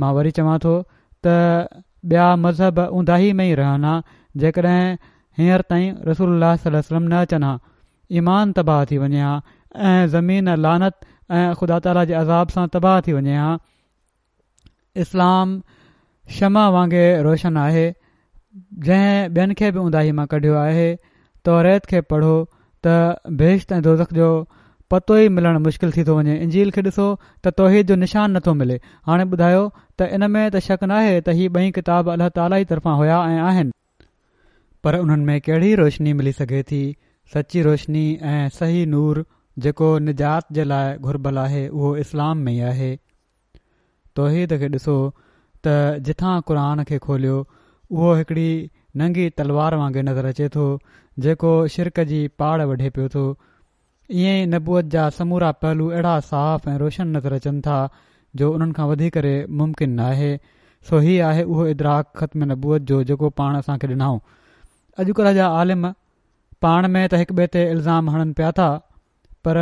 [SPEAKER 2] مان وري چوان ٿو ته ٻيا مذهب اونداهي ۾ ئي رهن ها جيڪڏهن هينئر تائين رسول الله صلي الله عليه وسلم نه اچن ها. ايمان تباهه ٿي وڃي ها ۽ زمين لعنت ۽ خدا تعاليٰ جي عذاب سان تباهه ٿي وڃي ها. اسلام شمع وانگي روشن آهي جنهن ٻين کي به اونداهي مان ڪڍيو آهي توريت کي پڙهو ته بهشت ۽ دوزخ جو پتو ئي ملڻ مشڪل ٿي ٿو وڃي انجيل کي ڏسو ته توحيد جو نشان نٿو ملي هاڻي ٻڌايو ته ان ۾ ته شڪ ناهي ته هي ٻئي ڪتاب الله تعالي ئي طرفان هيا ۽ آهن پر انهن ۾ ڪهڙي روشني ملي سگهي ٿي سچي روشني ۽ صحيح نور جيڪو نجات جي لاء گهربل آهي اهو اسلام ۾ ئي آهي. توحيد کي ڏسو ته جتان قرآن کي کوليو اهو هڪڙي ننگي تلوار وانگي نظر اچي ٿو جيڪو شرڪ جي پاڙ وڍي پيو ٿو. ائين ئي نبوت جا سمورا پهلو اهڙا صاف ۽ روشن نظر اچن ٿا جو انهن کان وڌي ڪري ممڪن ناهي. سو هي آهي اهو ادراڪ ختم نبوت جو جيڪو پاڻ اسان کي ڏنائون. اڄڪلهه جا عالم پاڻ ۾ ته هڪ ٻئي تي الزام هڻن پيا ٿا پر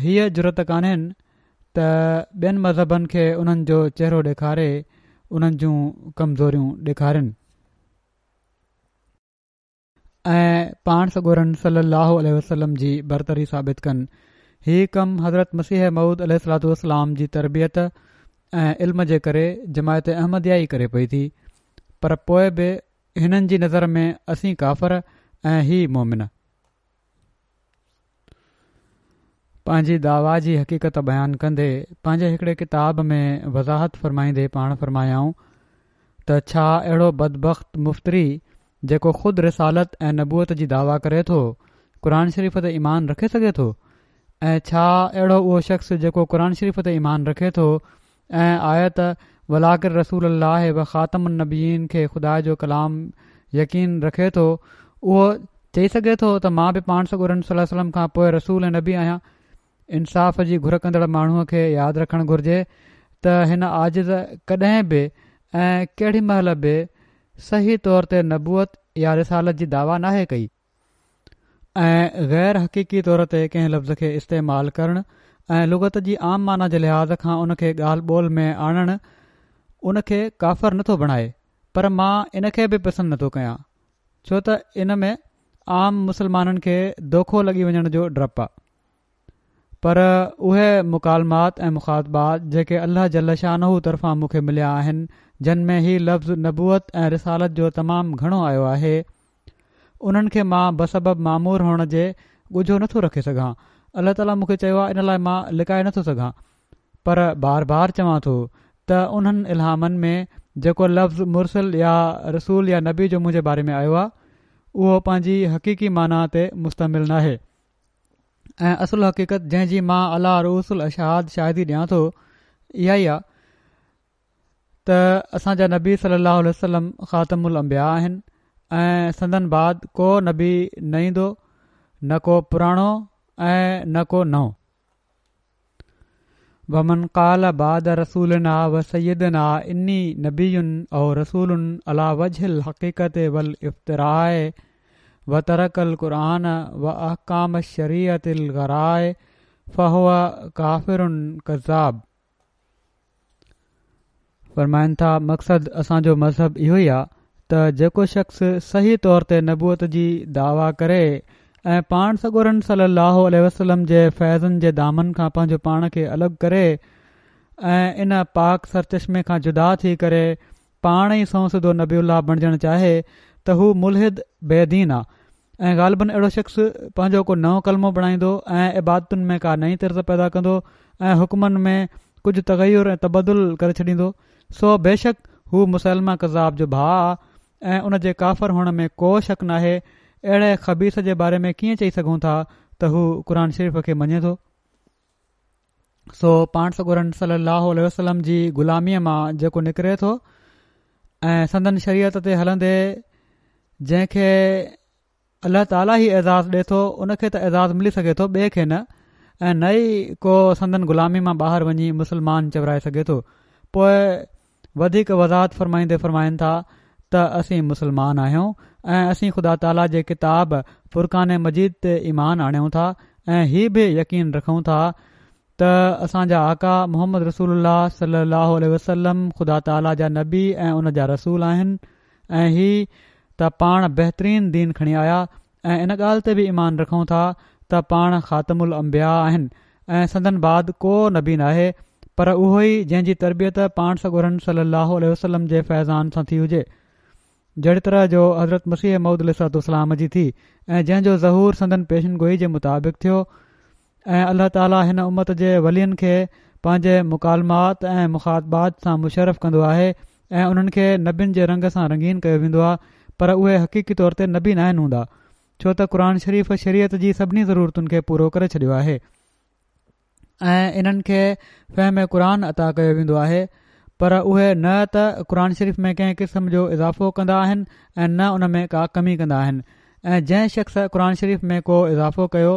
[SPEAKER 2] هيء جرئت ڪانهين ته ٻين مذهبن کي انهن جو چهرو ڏيکاري انهن جون ڪمزوريون ڏيکارين. ۽ پاڻ سڳورن صلي الله عليه وسلم جي برتري ثابت ڪن. هي ڪم حضرت مسيح موعود عليه الصلوة والسلام جي تربيت ۽ علم جي ڪري جماعت احمديه ئي ڪري پئي ٿي پر پوء به هنن جي نظر ۾ اسين ڪافر ۽ هي مؤمن. پنهنجي دعويٰ جي حقيقت بيان ڪندي پنهنجي هڪڙي ڪتاب ۾ وضاحت فرمائيندي پاڻ فرمايائون ته ڇا اهڙو بدبخت مفتري جيڪو خود رسالت ۽ نبوت جي دعويٰ ڪري ٿو قرآن شريف تي ايمان رکي سگهي ٿو ۽ ڇا اهڙو اهو شخص جيڪو قرآن شريف تي ايمان رکي ٿو ۽ آيت ولڪن رسول الله و خاتم النبيين کي خدا جو ڪلام يقين رکي ٿو اهو چئي سگهي ٿو ته مان به پاڻ سڳورن صلي الله عليه وسلم کان پوء رسول ۽ نبي آهيان انصاف جي گهر ڪندڙ ماڻهوء کي ياد رکڻ گهرجي ته هن عاجز ڪڏهن به ۽ ڪهڙي مهل به صحيح طور تي نبوت يا رسالت جي دعويٰ ناهي ڪئي. ۽ غير حقيقي طور تي ڪنهن لفظ کي استعمال ڪرڻ ۽ لغت جي عام معنيٰ جي لحاظ کان ان کي ڳالهه ٻولهه ۾ آڻڻ ان کي ڪافر نٿو بڻائي پر مان ان کي به پسند نٿو ڪيان ڇو ته ان ۾ عام مسلمانن کي دوکو لڳي وڃڻ جو ڊپ آ. پر اهي مڪالمات ۽ مخاطبات جيڪي الله جل شانه طرفان مون کي مليا آهن جن ۾ هي لفظ نبوت ۽ رسالت جو تمام گهڻو آيو آهي انهن کي مان بسبب مامور هئڻ جي ڳجهو نٿو رکي سگهان الله تعاليٰ مون کي چيو آهي ان لاء مان لڪائي نٿو سگهان پر بار بار چوان ٿو ته انهن الهامن ۾ جيڪو لفظ مرسل يا رسول يا نبي جو منهنجي باري ۾ آيو آهي اهو پنهنجي حقيقي معنيٰ تي مشتمل ناهي ۽ اصل حقيقت جنهن جي مان عليٰ رؤوس الاشهاد شاهدي ڏيان ٿو اها ئي آ ته اسان جا نبي صلي الله عليه وسلم خاتم الانبياء آهن ۽ سندن بعد ڪو نبي نه ايندو نه ڪو پراڻو ۽ نه ڪو نئون. ومن قال بعد رسولنا و سيدنا اني نبي او رسول علي وجه الحقيقة والافتراء وترڪ القرآن و احڪام الشريعة الغراء فهو ڪافر ڪذاب. فرمائن ٿا، مقصد اسان جو مذهب اهو ئي آ ته جيڪو شخص صحيح طور تي نبوت جي دعويٰ ڪري ۽ پاڻ سڳورن صلي الله عليه وسلم جي فيضن جي دامن کان پنهنجو پاڻ کي الڳ ڪري ۽ ان پاڪ سرچشمي کان جدا ٿي ڪري پاڻ ئي سنئون سڌو نبي الله بڻجڻ چاهي ته هو ملحد بي دين آ ۽ غالباً اهڙو شخص پنهنجو ڪو نئون ڪلمو بڻائيندو ۽ عبادتن ۾ ڪا نئين طرز پيدا ڪندو ۽ حڪمن ۾ ڪجهه تغير ۽ تبدل ڪري ڇڏيندو سو بيشڪ هو مسيلمه ڪذاب جو ڀاء آ ۽ ان جي ڪافر هئڻ ۾ ڪو شڪ ناهي اهڙي خبيث جي باري ۾ ڪيئن چئي سگهون ٿا ته هو قرآن شريف کي مڃي ٿو؟ سو پاڻ سڳورن صلي الله عليه وسلم جي غلاميء مان جيڪو نڪري ٿو ۽ سندن شريعت تي هلندي جنهن کي الله تعاليٰ ئي اعزاز ڏي ٿو ان کي ته اعزاز ملي سگهي ٿو ٻئي کي نه ۽ نه ئي ڪو سندن غلامي مان ٻاهر وڃي مسلمان چورائي سگهي ٿو پوء وڌيڪ وضاحت فرمائيندي فرمائن ٿا ته اسين مسلمان آهيون ۽ اسين خدا تعاليٰ جي ڪتاب فرقان مجيد تي ايمان آڻيون ٿا ۽ هي به يقين رکون ٿا ته اسان جا آقا محمد رسول الله صلي الله عليه وسلم خدا تعاليٰ جا نبي ۽ ان جا رسول آهن ۽ هي ته پاڻ بهترين دين کڻي آيا ۽ ان ڳالهه تي به ايمان رکون ٿا ته پاڻ خاتم الانبياء آهن ۽ سندن بعد ڪو نبي ناهي پر اهو ئي جنهن جي تربيت پاڻ سڳورن صلي الله عليه وسلم جي فيضان سان ٿي هجي جهڙي طرح جو حضرت مسيح موعود عليه الصلوة والسلام جي ٿي ۽ جنهن جو ظهور سندن پيشن گوئي جي مطابق ٿيو ۽ الله تعالي هن امت جي ولين کي پنهنجي مڪالمات ۽ مخاطبات سان مشرف ڪندو آهي ۽ انهن کي نبين جي رنگ سان رنگين ڪيو ويندو آهي پر اهي حقيقي طور تي نبي ناهن هوندا ڇو ته قرآن شريف شريعت جي سڀني ضرورتن کي پورو ڪري ڇڏيو آهي ۽ انهن کي فهم قرآن عطا ڪيو ويندو آهي پر اهي نه ته قرآن شريف ۾ ڪنهن قسم جو اضافو ڪندا آهن ۽ نه ان ۾ ڪا ڪمي ڪندا آهن ۽ جنهن شخص قرآن شريف ۾ ڪو اضافو ڪيو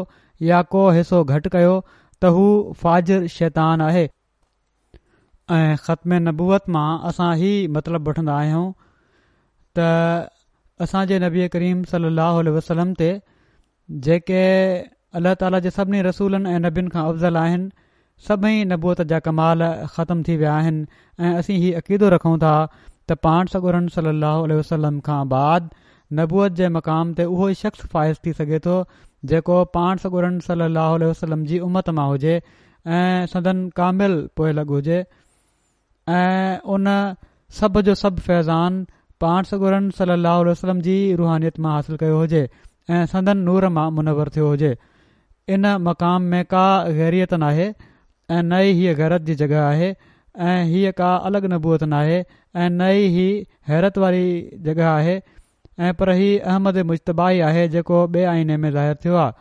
[SPEAKER 2] يا ڪو حصو گهٽ ڪيو ته هو فاجر شيطان آهي. ۽ ختم نبوت مان اسان هي مطلب وٺندا آهيون ته اسان جي نبي ڪريم صلي الله عليه وسلم تي جيڪي الله تعالي جي سڀني رسولن ۽ نبين کان افضل آهن سڀئي نبوت جا ڪمال ختم ٿي ويا آهن ۽ اسين هي عقيدو رکون ٿا ته پاڻ سڳورن صلي الله عليه وسلم کان بعد نبوت جي مقام تي اهو ئي شخص فائز ٿي سگهي ٿو جيڪو پاڻ سڳورن صلي الله عليه وسلم جي امت مان هجي ۽ سندن ڪامل پوئلڳ هجي ۽ ان سڀ جو سڀ فيضان پاڻ سڳورن صلي الله عليه وسلم جي روحانيت مان حاصل ڪيو هجي ۽ سندن نور مان منور ٿيو هجي. ان مقام ۾ ڪا غيريت ناهي ۽ نه ئي هيء غيرت جي جڳهه آهي ۽ هيء ڪا الڳ نبوت ناهي ۽ نه ئي هي حيرت واري جڳهه آهي ۽ پر هي احمد مجتبيٰ ئي آهي جيڪو ٻئي آئيني ۾ ظاهر ٿيو آهي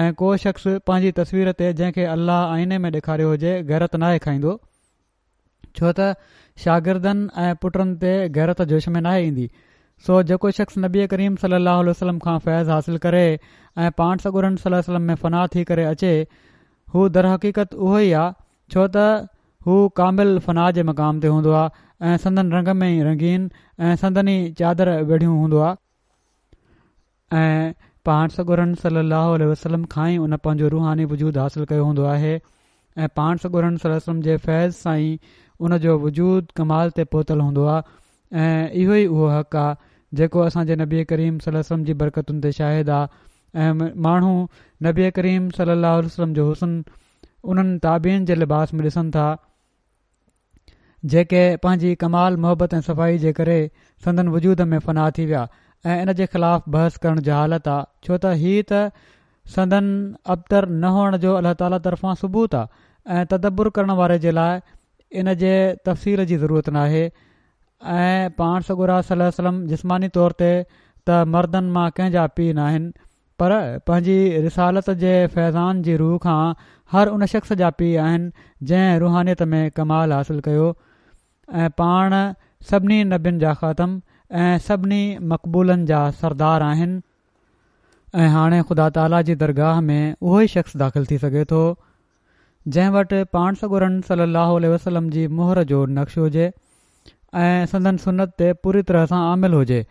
[SPEAKER 2] ۽ ڪو شخص پنهنجي تصوير تي جنهن کي الله آئيني ۾ ڏيکاريو هجي غيرت ناهي کائيندو. ڇو ته شاگردن ۽ پٽن تي غيرت جوش ۾ ناهي ايندي سو جيڪو شخص نبي ڪريم صلي الله عليه وسلم کان فيض حاصل ڪري ۽ پاڻ سڳورن صلي الله عليه وسلم ۾ فنا ٿي ڪري اچي هو درحقيقت اهو ئي آ ڇو ته هو ڪامل فنا جي مقام تي هوندو آ ۽ سندن رنگ ۾ ئي رنگين ۽ سندن ئي چادر ويڙهيون هوندو آ. ۽ پاڻ سڳورن صلّي اللّٰه عليه وسلّم کان ئي ان پنهنجو روحاني وجود حاصل ڪيو هوندو آهي ۽ پاڻ سڳورن صلّي اللّٰه عليه وسلّم جي فيض سان ئي ان جو وجود ڪمال تي پهتل هوندو آهي ۽ اهو ئي اهو حق آهي جيڪو اسان جي نبي ڪريم صلّي اللّٰه عليه وسلّم جي برڪتن تي شاهد آهي ۽ ماڻهو نبي ڪريم صلّي اللّٰه عليه وسلّم جو حسن انهن تابعين جي لباس ۾ ڏسن ٿا جيڪي پنهنجي ڪمال محبت ۽ صفائي جي ڪري سندن وجود ۾ فنا ٿي ويا ۽ ان جي خلاف بحث ڪرڻ جهالت آ ڇو ته هي ته سندن ابتر نه هئڻ جو الله تعالي طرفان ثبوت آ ۽ تدبر ڪرڻ واري جي لاء ان جي تفصيل جي ضرورت ناهي ۽ پاڻ سڳورا صلي الله عليه وسلم جسماني طور تي ته مردن مان ڪنهن جا پيء ناهن پر پنهنجي رسالت جي فيضان جي رو کان هر ان شخص جا پيء آهن جنهن روحانيت ۾ ڪمال حاصل ڪيو ۽ پاڻ سڀني نبين جا خاتم ۽ سڀني مقبولن جا سردار آهن ۽ هاڻي خدا تعاليٰ جي درگاهه ۾ اهو ئي شخص داخل ٿي سگهي ٿو جنهن وٽ پاڻ سڳورن صلي الله عليه وسلم جي مهر جو نقش هجي ۽ سندن سنت تي پوري طرح سان عامل هجي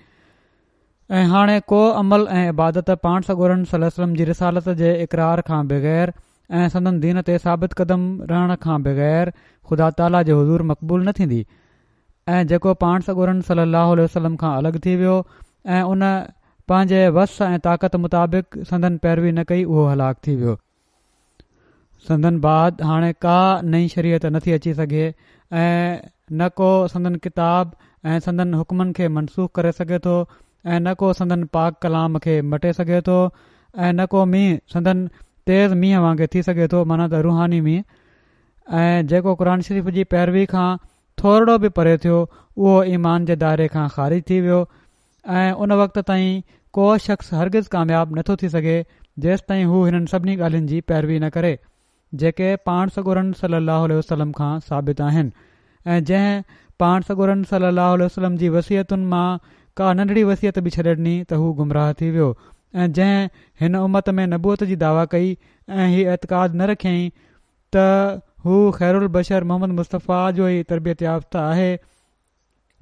[SPEAKER 2] ۽ هاڻي ڪو عمل ۽ عبادت پاڻ سڳورن صلي الله عليه وسلم جي رسالت جي اقرار کان بغير ۽ سندن دين تي ثابت قدم رهڻ کان بغير خدا تعاليٰ جي حضور مقبول نه ٿيندي ۽ جيڪو پاڻ سڳورن صلي الله عليه وسلم کان الڳ ٿي ويو ۽ ان پنهنجي وس ۽ طاقت مطابق سندن پيروي نه ڪئي اهو هلاڪ ٿي ويو. سندن بعد هاڻي ڪا نئين شريعت نٿي اچي سگهي ۽ نه ڪو سندن ڪتاب ۽ سندن حڪمن کي منسوخ ڪري سگهي ٿو ۽ نه ڪو سندن پاڪ ڪلام کي مٽي سگهي ٿو ۽ نه ڪو مينهن سندن تيز مينهن وانگي ٿي سگهي ٿو معنيٰ ته روحاني مينهن ۽ جيڪو قرآن شريف جي پيروي کان ٿورڙو به پري ٿيو اهو ايمان جي دائري کان خارج ٿي ويو ۽ ان وقت تائين ڪو شخص هرگز ڪامياب نٿو ٿي سگهي جيستائين هو هنن سڀني ڳالهين جي پيروي نه ڪري جيڪي پاڻ سڳورن صلي الله عليه وسلم کان ثابت آهن ۽ جنهن پاڻ سڳورن صلي الله عليه وسلم جي وصيتن مان ڪا ننڍڙي وصيت به ڇڏي ڏني ته هو گمراهه ٿي ويو ۽ جنهن هن امت ۾ نبوت جي دعويٰ ڪئي ۽ هي اعتقاد نه رکيائين ته هو خير البشر محمد مصطفيٰ جو ئي تربيت يافته آهي.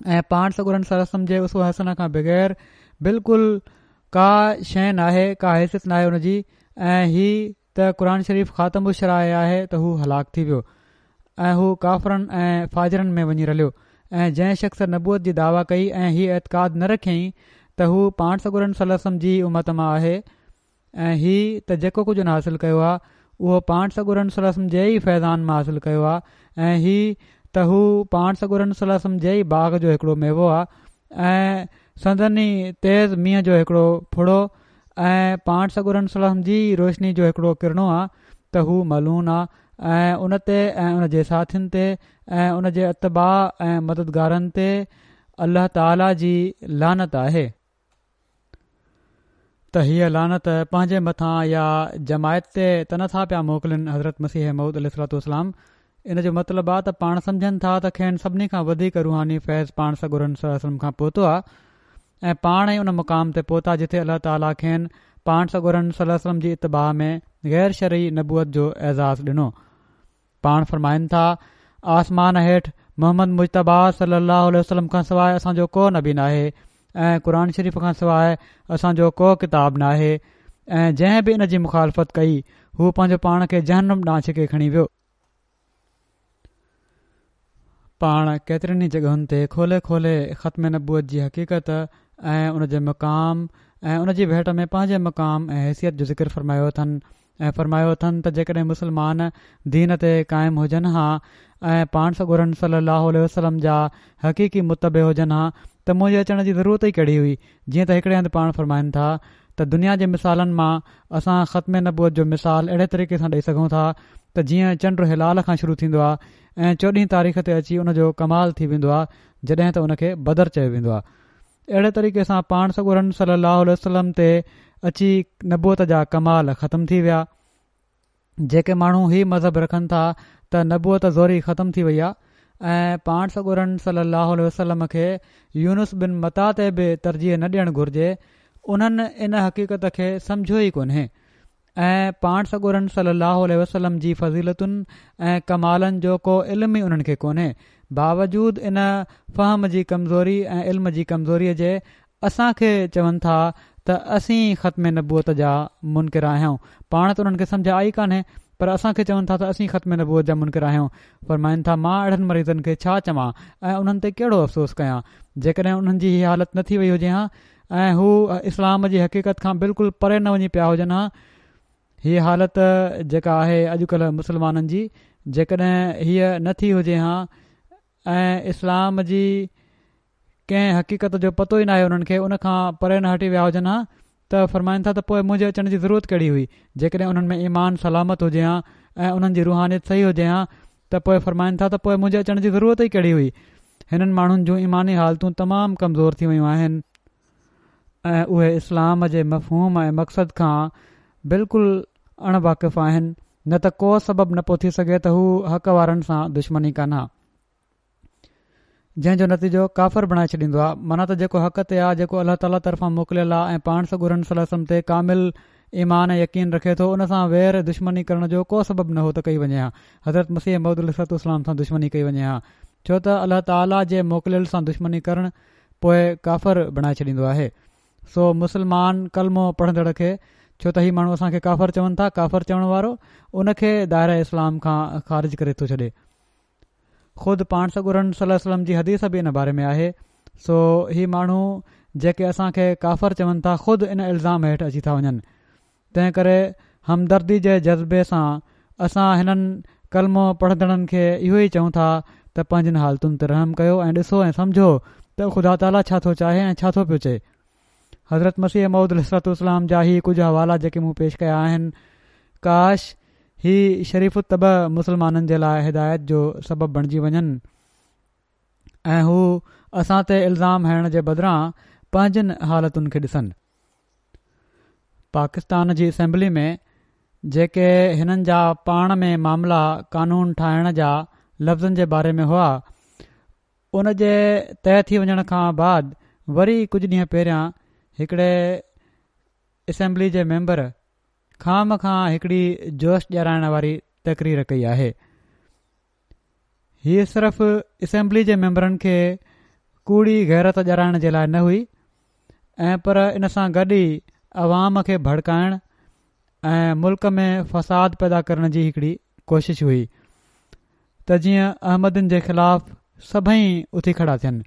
[SPEAKER 2] ۽ پاڻ سڳورن صلي الله عليه وسلم جي اسوه حسنه کان بغير بلڪل ڪا شيء ناهي، ڪا حيثيت ناهي ان جي ۽ هي ته قرآن شريف خاتم الشرائع آهي ته هو هلاڪ ٿي ويو ۽ هو ڪافرن ۽ فاجرن ۾ وڃي رليو ۽ جنهن شخص نبوت جي دعويٰ ڪئي ۽ هي اعتقاد نه رکيائين ته هو پاڻ سڳورن صلي الله عليه وسلم جي ئي امت مان آهي ۽ هي ته جيڪو ڪجهه ان حاصل ڪيو آهي اهو پاڻ سڳورن صلي الله عليه وسلم جي ئي فيضان مان حاصل ڪيو آهي ۽ هي ته هو پاڻ سڳورن صلي الله عليه وسلم جي ئي باغ جو هڪڙو ميوو آهي ۽ سندن ئي تيز مينهن جو هڪڙو ڦڙو ۽ پاڻ سڳورن صلي الله عليه وسلم جي ئي روشني جو هڪڙو ڪرڻو آ ته هو ملعون آ ۽ ان تي ۽ ان جي ساٿين تي ۽ ان جي اتباع ۽ مددگارن تي الله تعالي جي لعنت آهي. ته هيء لعنت پنهنجي مٿان يا جماعت تي ته نه ٿا پيا موڪلين حضرت مسيح موعود عليه الصلوة والسلام ان جو مطلب آ ته پاڻ سمجهن ٿا ته کين سڀني کان وڌيڪ روحاني فيض پاڻ سڳورن صلي الله عليه وسلم کان پهتو آ ۽ پاڻ ئي ان مقام تي پهتا جتي الله تعاليٰ کين پاڻ سڳورن صلي الله عليه وسلم جي اتباع ۾ غير شرعي نبوت جو اعزاز ڏنو. پاڻ فرمائن ٿا، آسمان هيٺ محمد مجتبيٰ صلي الله عليه وسلم کان سواء اسان جو ڪو نبي ناهي ۽ قرآن شريف کان سواء اسان جو ڪو ڪتاب ناهي ۽ جنهن به ان جي مخالفت ڪئي هو پنهنجو پاڻ کي جهنم ڏانهن ڇڪي کڻي ويو. پاڻ ڪيترين ئي جڳهن تي کولي کولي ختم نبوت جي حقيقت ۽ ان جي مقام ۽ ان جي ڀيٽ ۾ پنهنجي مقام ۽ حيثيت جو ذڪر فرمايو اٿن ۽ فرمايو اٿن ته جيڪڏهن مسلمان دين تي قائم هجن ها ۽ پاڻ سڳورن صلي الله عليه وسلم جا حقيقي متبع هجن ها ته منهنجي اچڻ جي ضرورت ئي ڪهڙي هئي جيئن ته هڪڙي هنڌ پاڻ فرمائن ٿا ته دنيا جي مثالن مان اسان ختم نبوت جو مثال اهڙي طريقي سان ڏئي سگهون ٿا ته جيئن چنڊ هلال کان شروع ٿيندو آهي ۽ چوڏهين تاريخ تي اچي ان جو ڪمال ٿي ويندو آهي جڏهن ته ان کي بدر چيو ويندو آهي اهڙي طريقي سان پاڻ سڳورن صلي الله عليه وسلم تي اچي نبوت جا ڪمال ختم ٿي ويا. جيڪي ماڻهو هي مذهب رکن ٿا ته نبوت زوري ختم ٿي وئي آ ۽ پاڻ سڳورن صلي الله عليه وسلم کي يونس بن متيٰ تي به ترجيح نه ڏيڻ گهرجي انهن ان حقيقت کي سمجهيو ئي ڪونهي ۽ پاڻ سڳورن صلي الله عليه وسلم جي فضيلتن ۽ ڪمالن جو ڪو علم ئي انهن کي ڪونهي باوجود ان فهم جي ڪمزوري ۽ علم جي ڪمزوري جي اسان کي چون ٿا ته اسين ختم نبوت جا منڪر آهيون. پاڻ ته انهن کي سمجهه آئي ڪانهي پر اسان کي چون ٿا ته اسين ختم نبوت جا منڪر آهيون. فرمائن ٿا مان اهڙن مريضن کي ڇا چوان ۽ انهن تي ڪهڙو افسوس ڪيان. جيڪڏهن انهن جي هي حالت نه ٿي وئي هجي ها ۽ هو اسلام جي حقيقت کان بلڪل پري نه وڃي پيا هجن ها. هيء حالت جيڪا آهي اڄڪلهه مسلمانن جي جيڪڏهن هيء نه ٿي هجي ها ۽ اسلام جي ڪنهن حقيقت جو پتو ئي ناهي انهن کي ان کان پري نه هٽي ويا هجن ها ته فرمائن ٿا ته پوء منهنجي اچڻ جي ضرورت ڪهڙي هئي جيڪڏهن انهن ۾ ايمان سلامت هجي ها ۽ انهن جي روحانيت صحيح هجي ها ته پوء فرمائن ٿا ته پوء منهنجي اچڻ جي ضرورت ئي ڪهڙي هئي هنن ماڻهن جون ايماني حالتون تمام ڪمزور ٿي ويون آهن ۽ اهي اسلام جي مفهوم ۽ مقصد کان بلڪل اڻ واقف آهن نه ته ڪو سبب نه پيو ٿي سگهي ته هو حق وارن سان دشمني ڪن ها. جنهن جو نتيجو ڪافر بڻائي ڇڏيندو آهي معنيٰ ته جيڪو حق تي آهي جيڪو الله تعاليٰ طرفان موڪليل آهي ۽ پاڻ سڳورن صلي الله عليه وسلم تي ڪامل ايمان ۽ يقين رکي ٿو ان سان وير دشمني ڪرڻ جو ڪو سبب نه هو ته ڪئي وڃي ها حضرت مسيح موعود عليه الصلوة والسلام سان دشمني ڪئي وڃي ها ڇو ته الله تعاليٰ جي موڪليل سان دشمني ڪرڻ پوء ڪافر بڻائي ڇڏيندو آهي سو مسلمان ڪلمو پڙهندڙ کي ڇو ته هي ماڻهو اسان کي ڪافر چون ٿا ڪافر چوڻ وارو ان کي دائره اسلام کان خارج ڪري ٿو ڇڏي خود پاڻ سڳورن صلي الله عليه وسلم جي حديث به ان باري ۾ آهي سو هي ماڻهو جيڪي اسان کي ڪافر چون ٿا خود ان الزام هيٺ اچي ٿا وڃن تنهن ڪري همدردي جي جذبي سان اسان هنن ڪلمو پڙهندڙن کي اهو ئي چئون ٿا ته پنهنجين حالتن تي رحم ڪيو ۽ ڏسو ۽ سمجهو ته خدا تعاليٰ ڇا ٿو چاهي ۽ ڇا ٿو پيو چئي حضرت مسيح موعود عليه الصلوة والسلام جا هي ڪجهه حوالا جيڪي مون پيش ڪيا آهن ڪاش هي شريف الطبع مسلمانن جي لاء هدايت جو سبب بڻجي وڃن ۽ هو اسان تي الزام هڻڻ جي بدران پنهنجين حالتن کي ڏسن. پاڪستان جي اسيمبلي ۾ جيڪي هنن جا پاڻ ۾ معاملا قانون ٺاهڻ جا لفظن جي باري ۾ هئا ان جي طئي ٿي وڃڻ کان بعد وري ڪجهه ڏينهن پهريان هڪڙي اسيمبلي جي ميمبر خوامخواه هڪڙي جوش ڏيارائڻ واري تقرير ڪئي آهي. هي صرف اسيمبلي جي ميمبرن کي ڪوڙي غيرت ڏيارائڻ جي لاء نه هئي ۽ پر ان سان گڏ ئي عوام کي ڀڙڪائڻ ۽ ملڪ ۾ فساد پيدا ڪرڻ جي هڪڙي ڪوشش هئي ته جيئن احمدين جي خلاف سڀئي اٿي کڙا ٿين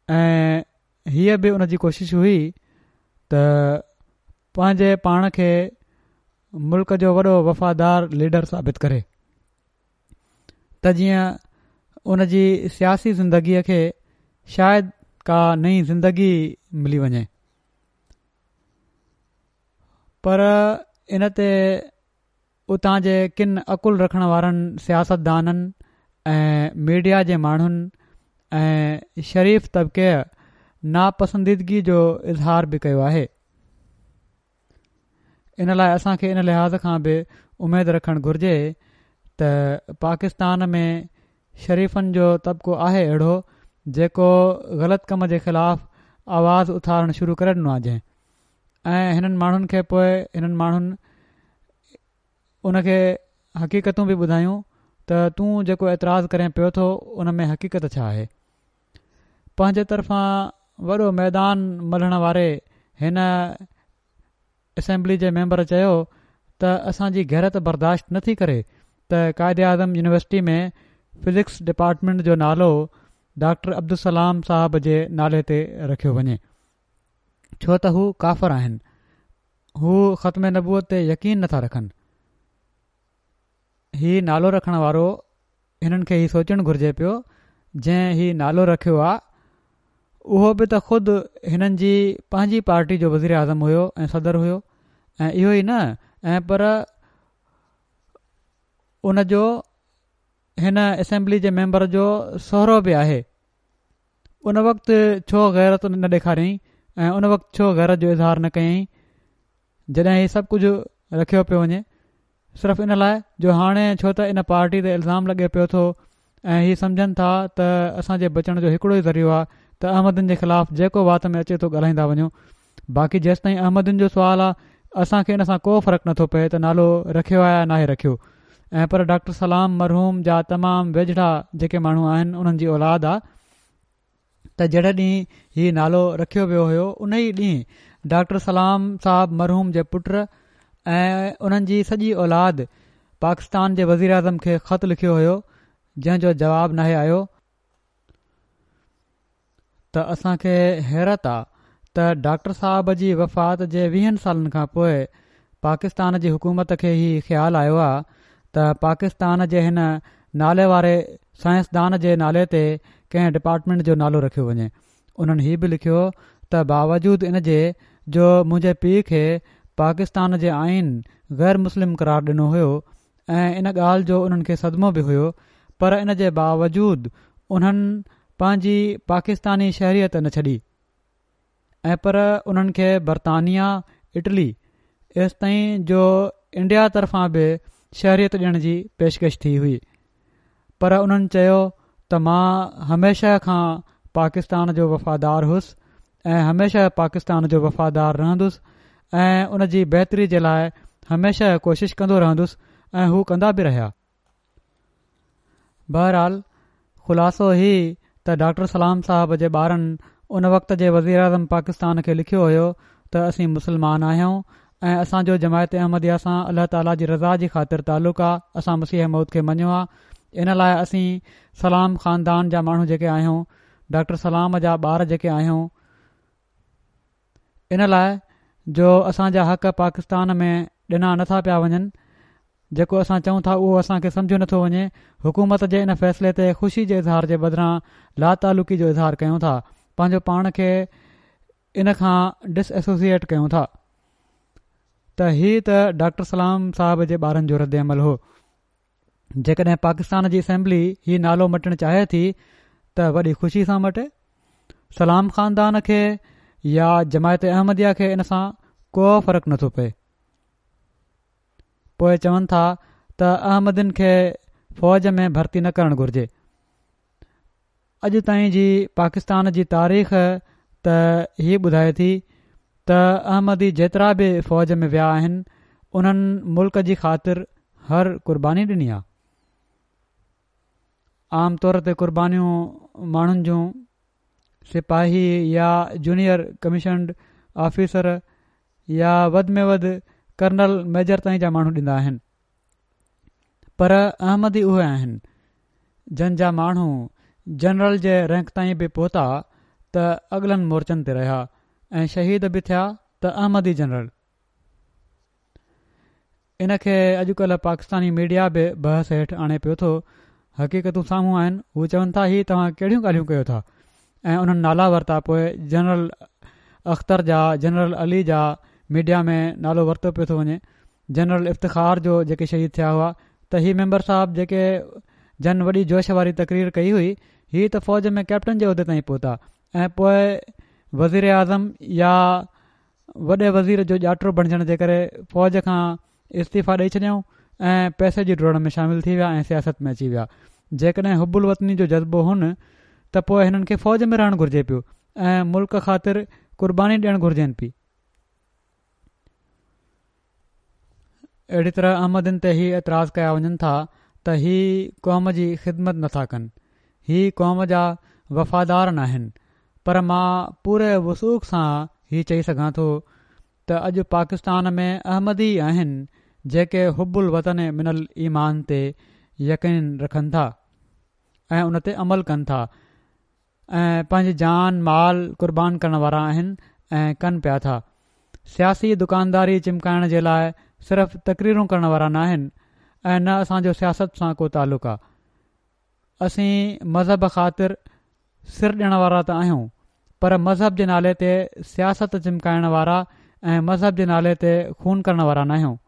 [SPEAKER 2] ۽ هيء به ان جي ڪوشش هئي ته پنهنجي پاڻ کي ملڪ جو وڏو وفادار ليڊر ثابت ڪري ته جيئن ان جي سياسي زندگيء کي شايد ڪا نئين زندگي ملي وڃي پر ان تي اتان جي ڪن عقل رکڻ وارن سياستدانن ۽ ميڊيا جي ماڻهن ۽ شريف طبقي ناپسنديدگي جو اظهار به ڪيو آهي. ان لاء اسان کي ان لحاظ کان به اميد رکڻ گهرجي ته پاڪستان ۾ شريفن جو طبقو آهي اهڙو جيڪو غلط ڪم جي خلاف آواز اٿارڻ شروع ڪري ڏنو آهي جنهن ۽ هنن ماڻهن کي پوء هنن ماڻهن ان کي حقيقتون به ٻڌايون ته تون جيڪو اعتراض ڪرين پيو ٿو ان ۾ حقيقت ڇا آهي. پنهنجي طرفان وڏو ميدان ملهڻ واري هن اسيمبلي جي ميمبر چيو ته اسان جي غيرت برداشت نه ٿي ڪري ته Quaid Azam university ۾ physics department جو نالو ڊاڪٽر عبدالسلام صاحب جي نالي تي رکيو وڃي ڇو ته هو ڪافر آهن هو ختم نبوت تي يقين نٿا رکن هي نالو رکڻ وارو هنن کي هي سوچڻ گهرجي پيو جنهن هي نالو رکيو آ اهو به ته خود هنن جي پنهنجي پارٽي جو وزير اعظم هيو ۽ صدر هيو ۽ اهو ئي نه ۽ پر ان جو هن اسيمبلي جي ميمبر جو سهرو به آهي ان وقت ڇو غيرت نه ڏيکاريائين ۽ ان وقت ڇو غيرت جو اظهار نه ڪيائين جڏهن هي سڀ ڪجهه رکيو پيو وڃي صرف ان لاء جو هاڻي ڇو ته ان پارٽي تي الزام لڳي پيو ٿو ۽ هي سمجهن ٿا ته اسان جي بچڻ جو هڪڙو ئي ذريعو آهي ته احمدين جي خلاف جيڪو وات ۾ اچي ٿو ڳالهائيندا وڃو باقي جيستائين احمدين جو سوال آهي اسان کي ان سان ڪو فرق نٿو پئي ته نالو رکيو آهي يا ناهي رکيو ۽ پر ڊاڪٽر سلام مرحوم جا تمام ويجهڙا جيڪي ماڻهو آهن انهن جي اولاد آ ته جهڙي ڏينهن هي نالو رکيو ويو هيو ان ئي ڏينهن ڊاڪٽر سلام صاحب مرحوم جي پٽ ۽ انهن جي سڄي اولاد پاڪستان جي وزيراعظم کي خط لکيو هيو جنهن جو جواب ناهي آيو. ته اسان کي حيرت آ ته ڊاڪٽر صاحب جي وفات جي ويهن سالن کان پوء پاڪستان جي حڪومت کي هي خيال آيو آ ته پاڪستان جي هن نالي واري سائنسدان جي نالي تي ڪنهن ڊپارٽمينٽ جو نالو رکيو وڃي. انهن هي به لکيو ته باوجود ان جي جو منهنجي پيء کي پاڪستان جي آئين غير مسلم قرار ڏنو هيو ۽ ان ڳالهه جو انهن کي صدمو به هيو پر ان جي باوجود انهن پنهنجي پاڪستاني شهريت نه ڇڏي ۽ پر انهن کي برطانيا، اٽلي ايستائين جو انڊيا طرفان به شهريت ڏيڻ جي پيشڪش ٿي هئي پر انهن چيو ته مان هميشه کان پاڪستان جو وفادار هوس ۽ هميشه پاڪستان جو وفادار رهندس ۽ ان جي بهتري جي لاء هميشه ڪوشش ڪندو رهندس ۽ هو ڪندا به رهيا. بهرحال خلاصو هي ته ڊاڪٽر سلام صاحب جي ٻارن ان وقت جي وزيراعظم پاڪستان کي لکيو هيو ته اسين مسلمان آهيون ۽ اسان جو جماعت احمديه سان الله تعاليٰ جي رضا جي خاطر تعلق آ اسان مسيح موعود کي مڃيو آ ان لاء اسين سلام خاندان جا ماڻهو جيڪي آهيون ڊاڪٽر سلام جا ٻار جيڪي آهيون ان لاء جو اسان جا حق پاڪستان ۾ ڏنا نٿا پيا وڃن جيڪو اسان چئون ٿا اهو اسان کي سمجهيو نٿو وڃي حڪومت جي ان فيصلي تي خوشي جي اظهار جي بدران لاتعلقي جو اظهار ڪيون ٿا پنهنجو پاڻ کي ان کان ڊس ايسوسيئيٽ ڪيون ٿا ته هي ته ڊاڪٽر سلام صاحب جي ٻارن جو رد عمل هو جيڪڏهن پاڪستان جي اسيمبلي هي نالو مٽڻ چاهي ٿي ته وڏي خوشي سان مٽي. سلام خاندان کي يا جماعت احمديه کي ان سان ڪو فرق نٿو پئي. پوء چون ٿا ته احمدين کي فوج ۾ ڀرتي نه ڪرڻ گهرجي. اڄ تائين جي پاڪستان جي تاريخ ته هي ٻڌائي ٿي ته احمدي جيترا به فوج ۾ ويا آهن انهن ملڪ جي خاطر هر قرباني ڏني آ. عام طور تي قربانيون ماڻهن جون سپاهي يا جونيئر ڪميشنڊ آفيسر يا وڌ ۾ وڌ ڪرنل ميجر تائين جا ماڻهو ڏيندا آهن پر احمدي اهي آهن جن جا ماڻهو جنرل جي رينڪ تائين به پهتا ته اڳلن مورچن تي رهيا ۽ شهيد به ٿيا ته احمدي جنرل. ان کي اڄڪلهه پاڪستاني ميڊيا به بحث هيٺ آڻي پيو ٿو. حقيقتون سامهون آهن. هو چون ٿا هي توهان ڪهڙيون ڳالهيون ڪيو ٿا ۽ انهن نالا ورتا پوء جنرل اختر جا جنرل علي جا ميڊيا ۾ نالو ورتو پيو ٿو وڃي جنرل افتخار جو جيڪي شهيد ٿيا هئا ته هي ميمبر صاحب جيڪي جن وڏي جوش واري تقرير ڪئي هئي هي ته فوج ۾ ڪئپٽن جي عهدي تائين پهتا ۽ پوء وزيراعظم يا وڏي وزير جو ڄاٽو بڻجڻ جي ڪري فوج کان استعيفا ڏئي ڇڏيائون ۽ پئسي جي ڊوڙ ۾ شامل ٿي ويا ۽ سياست ۾ اچي ويا. جيڪڏهن حب الوطني جو جذبو هن ته پوء هنن کي فوج ۾ رهڻ گهرجي پيو ۽ ملڪ خاطر قرباني ڏيڻ گهرجين پي. اهڙي طرح احمدين تي هي اعتراض ڪيا وڃن ٿا ته هي قوم جي خدمت نٿا ڪن، هي قوم جا وفادار ناهن، پر مان پوري وثوق سان هي چئي سگهان ٿو ته اڄ پاڪستان ۾ احمدي ئي آهن جيڪي حب الوطن من الايمان تي يقين رکن ٿا ۽ ان تي عمل ڪن ٿا ۽ پنهنجي جان مال قربان ڪرڻ وارا آهن ۽ ڪن پيا ٿا. سياسي دڪانداري چمڪائڻ جي لاء صرف تقريرون ڪرڻ وارا ناهن ۽ نه اسان جو سياست سان ڪو تعلق آ. اسين مذهب خاطر سر ڏيڻ وارا ته آهيون پر مذهب جي نالي تي سياست چمڪائڻ وارا ۽ مذهب جي نالي تي خون ڪرڻ وارا ناهيون.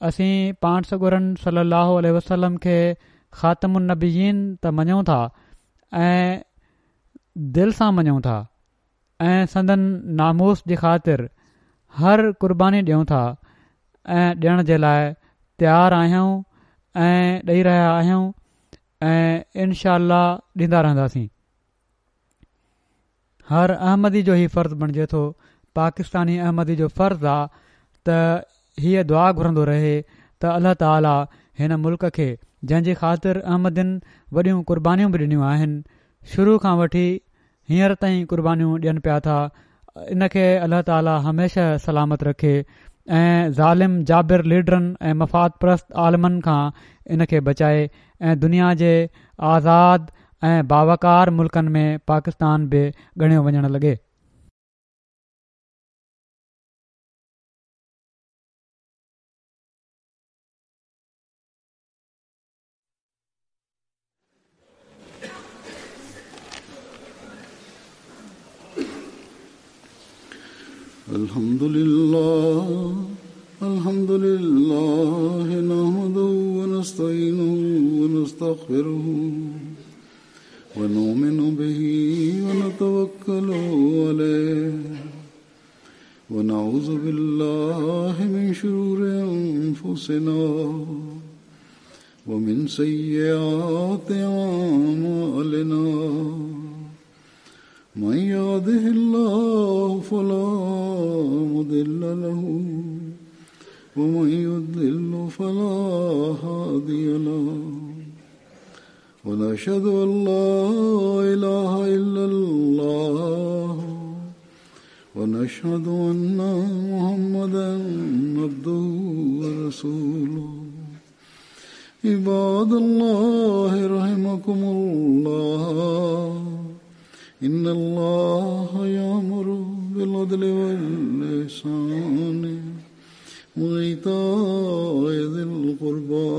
[SPEAKER 2] اسين پاڻ سڳورن صلي الله عليه وسلم کي خاتم النبيين ته مڃون ٿا ۽ دل سان مڃون ٿا ۽ سندن ناموس جي خاطر هر قرباني ڏيون ٿا ۽ ڏيڻ جي لاء تيار آهيون ۽ ڏئي رهيا آهيون ۽ انشاء الله ڏيندا رهنداسين. هر احمدي جو هي فرض بڻجي ٿو، پاڪستاني احمدي جو فرض آ ته هيء دعا گهرندو رهي ته الله تعالي هن ملڪ کي جنهن جي خاطر احمدين وڏيون قربانيون به ڏنيون آهن شروع کان وٺي هينئر تائين قربانيون ڏين پيا ٿا ان کي الله تعالي هميشه سلامت رکي ۽ ظالم جابر ليڊرن ۽ مفاد پرست عالمن کان ان کي بچائي ۽ دنيا جي آزاد ۽ باوقار ملڪن ۾ پاڪستان به ڳڻيو وڃڻ لڳي.
[SPEAKER 1] الحمدلله الحمد لله نحمده ونستعينه ونستغفره ونؤمن به ونتوكل عليه ونعوذ بالله من شرور أنفسنا ومن سيئات أعمالنا من يهده الله فلا مضل له ومن يضلل فلا هادي له ونشهد أن لا إله إلا الله ونشهد أن محمدا عبده ورسوله عباد الله رحمكم الله إن الله يأمر بالعدل والإحسان وإيتاء ذي القربى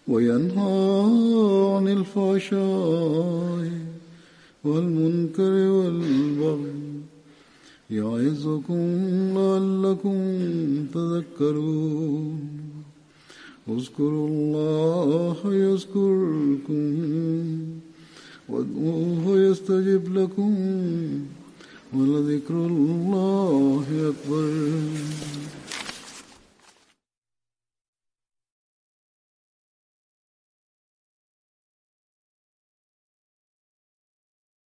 [SPEAKER 1] وينهى عن الفحشاء والمنكر والبغي يعظكم لعلكم تذكرون اذكروا الله يذكركم وادعوه يستجب لكم ولذكر الله أكبر.